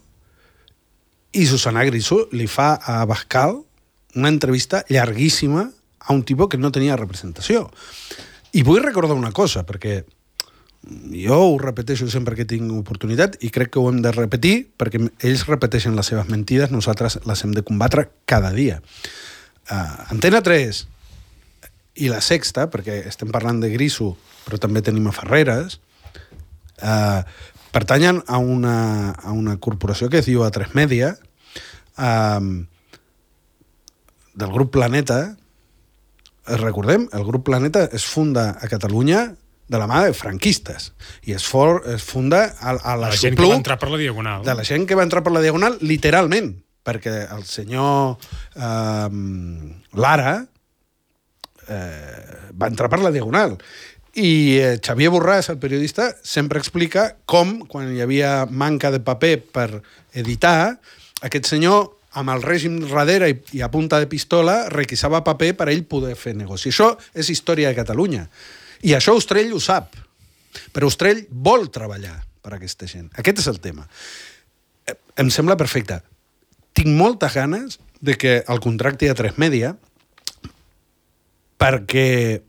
i Susana Griso li fa a Abascal una entrevista llarguíssima a un tipus que no tenia representació. I vull recordar una cosa, perquè jo ho repeteixo sempre que tinc oportunitat i crec que ho hem de repetir perquè ells repeteixen les seves mentides, nosaltres les hem de combatre cada dia. Antena 3 i La Sexta, perquè estem parlant de Griso, però també tenim a Ferreres, pertanyen a una corporació que es diu A3 Media, del grup Planeta. Recordem, el grup Planeta es funda a Catalunya de la mà de franquistes i es funda a la gent que va entrar per la Diagonal. De la gent que va entrar per la Diagonal, literalment, perquè el senyor Lara va entrar per la Diagonal. I Xavier Borràs, el periodista, sempre explica com, quan hi havia manca de paper per editar, aquest senyor, amb el règim darrere i a punta de pistola, requisava paper per ell poder fer negoci. Això és història de Catalunya. I això Ostrell ho sap. Però Ostrell vol treballar per aquesta gent. Aquest és el tema. Em sembla perfecte. Tinc moltes ganes de que el contracti a A3 Media, perquè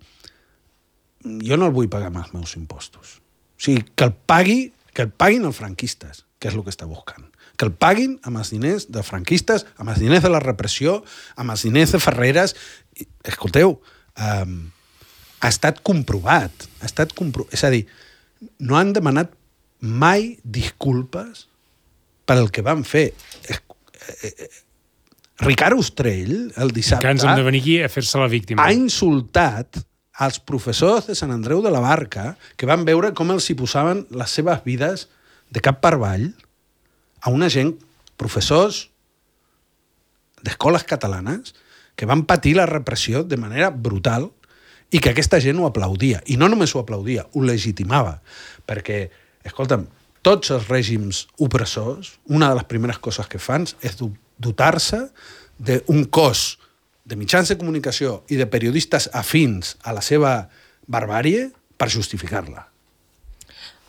jo no el vull pagar amb els meus impostos. O sigui, que el paguin els franquistes, que és el que està buscant. Que el paguin amb els diners de franquistes, amb els diners de la repressió, amb els diners de Ferreres. Escolteu, ha estat comprovat. És a dir, no han demanat mai disculpes pel que van fer. Ricard Ostrell, el dissabte... Que ens hem de venir aquí a fer-se la víctima. Ha insultat als professors de Sant Andreu de la Barca que van veure com els hi posaven les seves vides de cap per avall a una gent, professors d'escoles catalanes, que van patir la repressió de manera brutal i que aquesta gent ho aplaudia. I no només ho aplaudia, ho legitimava. Perquè, escolta'm, tots els règims opressors, una de les primeres coses que fan és dotar-se d'un cos de mitjans de comunicació i de periodistes afins a la seva barbàrie per justificar-la.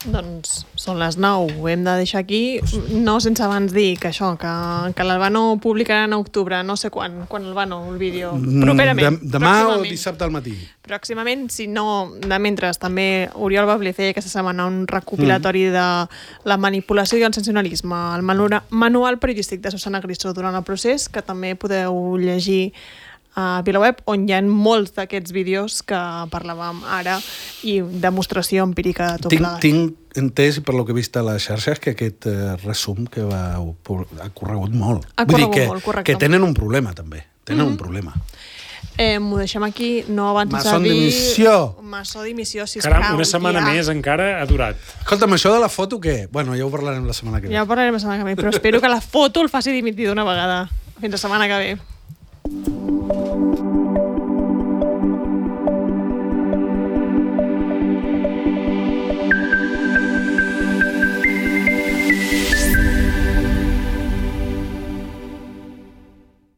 Doncs són les 9, ho hem de deixar aquí, no sense abans dir que això, que l'Albano publicarà en octubre, no sé quan Albano, el vídeo, properament. Demà o dissabte al matí. Pròximament, si no, de mentre també Oriol Bablé feia aquesta setmana un recopilatori de la manipulació i el sensacionalisme, el manual periodístic de Susana Griso durant el procés, que també podeu llegir a VilaWeb, on hi ha molts d'aquests vídeos que parlàvem ara i demostració empírica de tot plegat. Tinc entès, per lo que he vist a les xarxes, que aquest resum que ha corregut molt. Vull dir que tenen un problema, també. Tenen un problema. M'ho deixem aquí, no abans de dir... Maçó dimissió, sisplau. Caram, una setmana més encara ha durat. Escolta'm, això de la foto, què? Bueno, ja ho parlarem la setmana que ve. Ja ho parlarem la setmana que ve, però espero que la foto el faci dimitir d'una vegada. Fins la setmana que ve.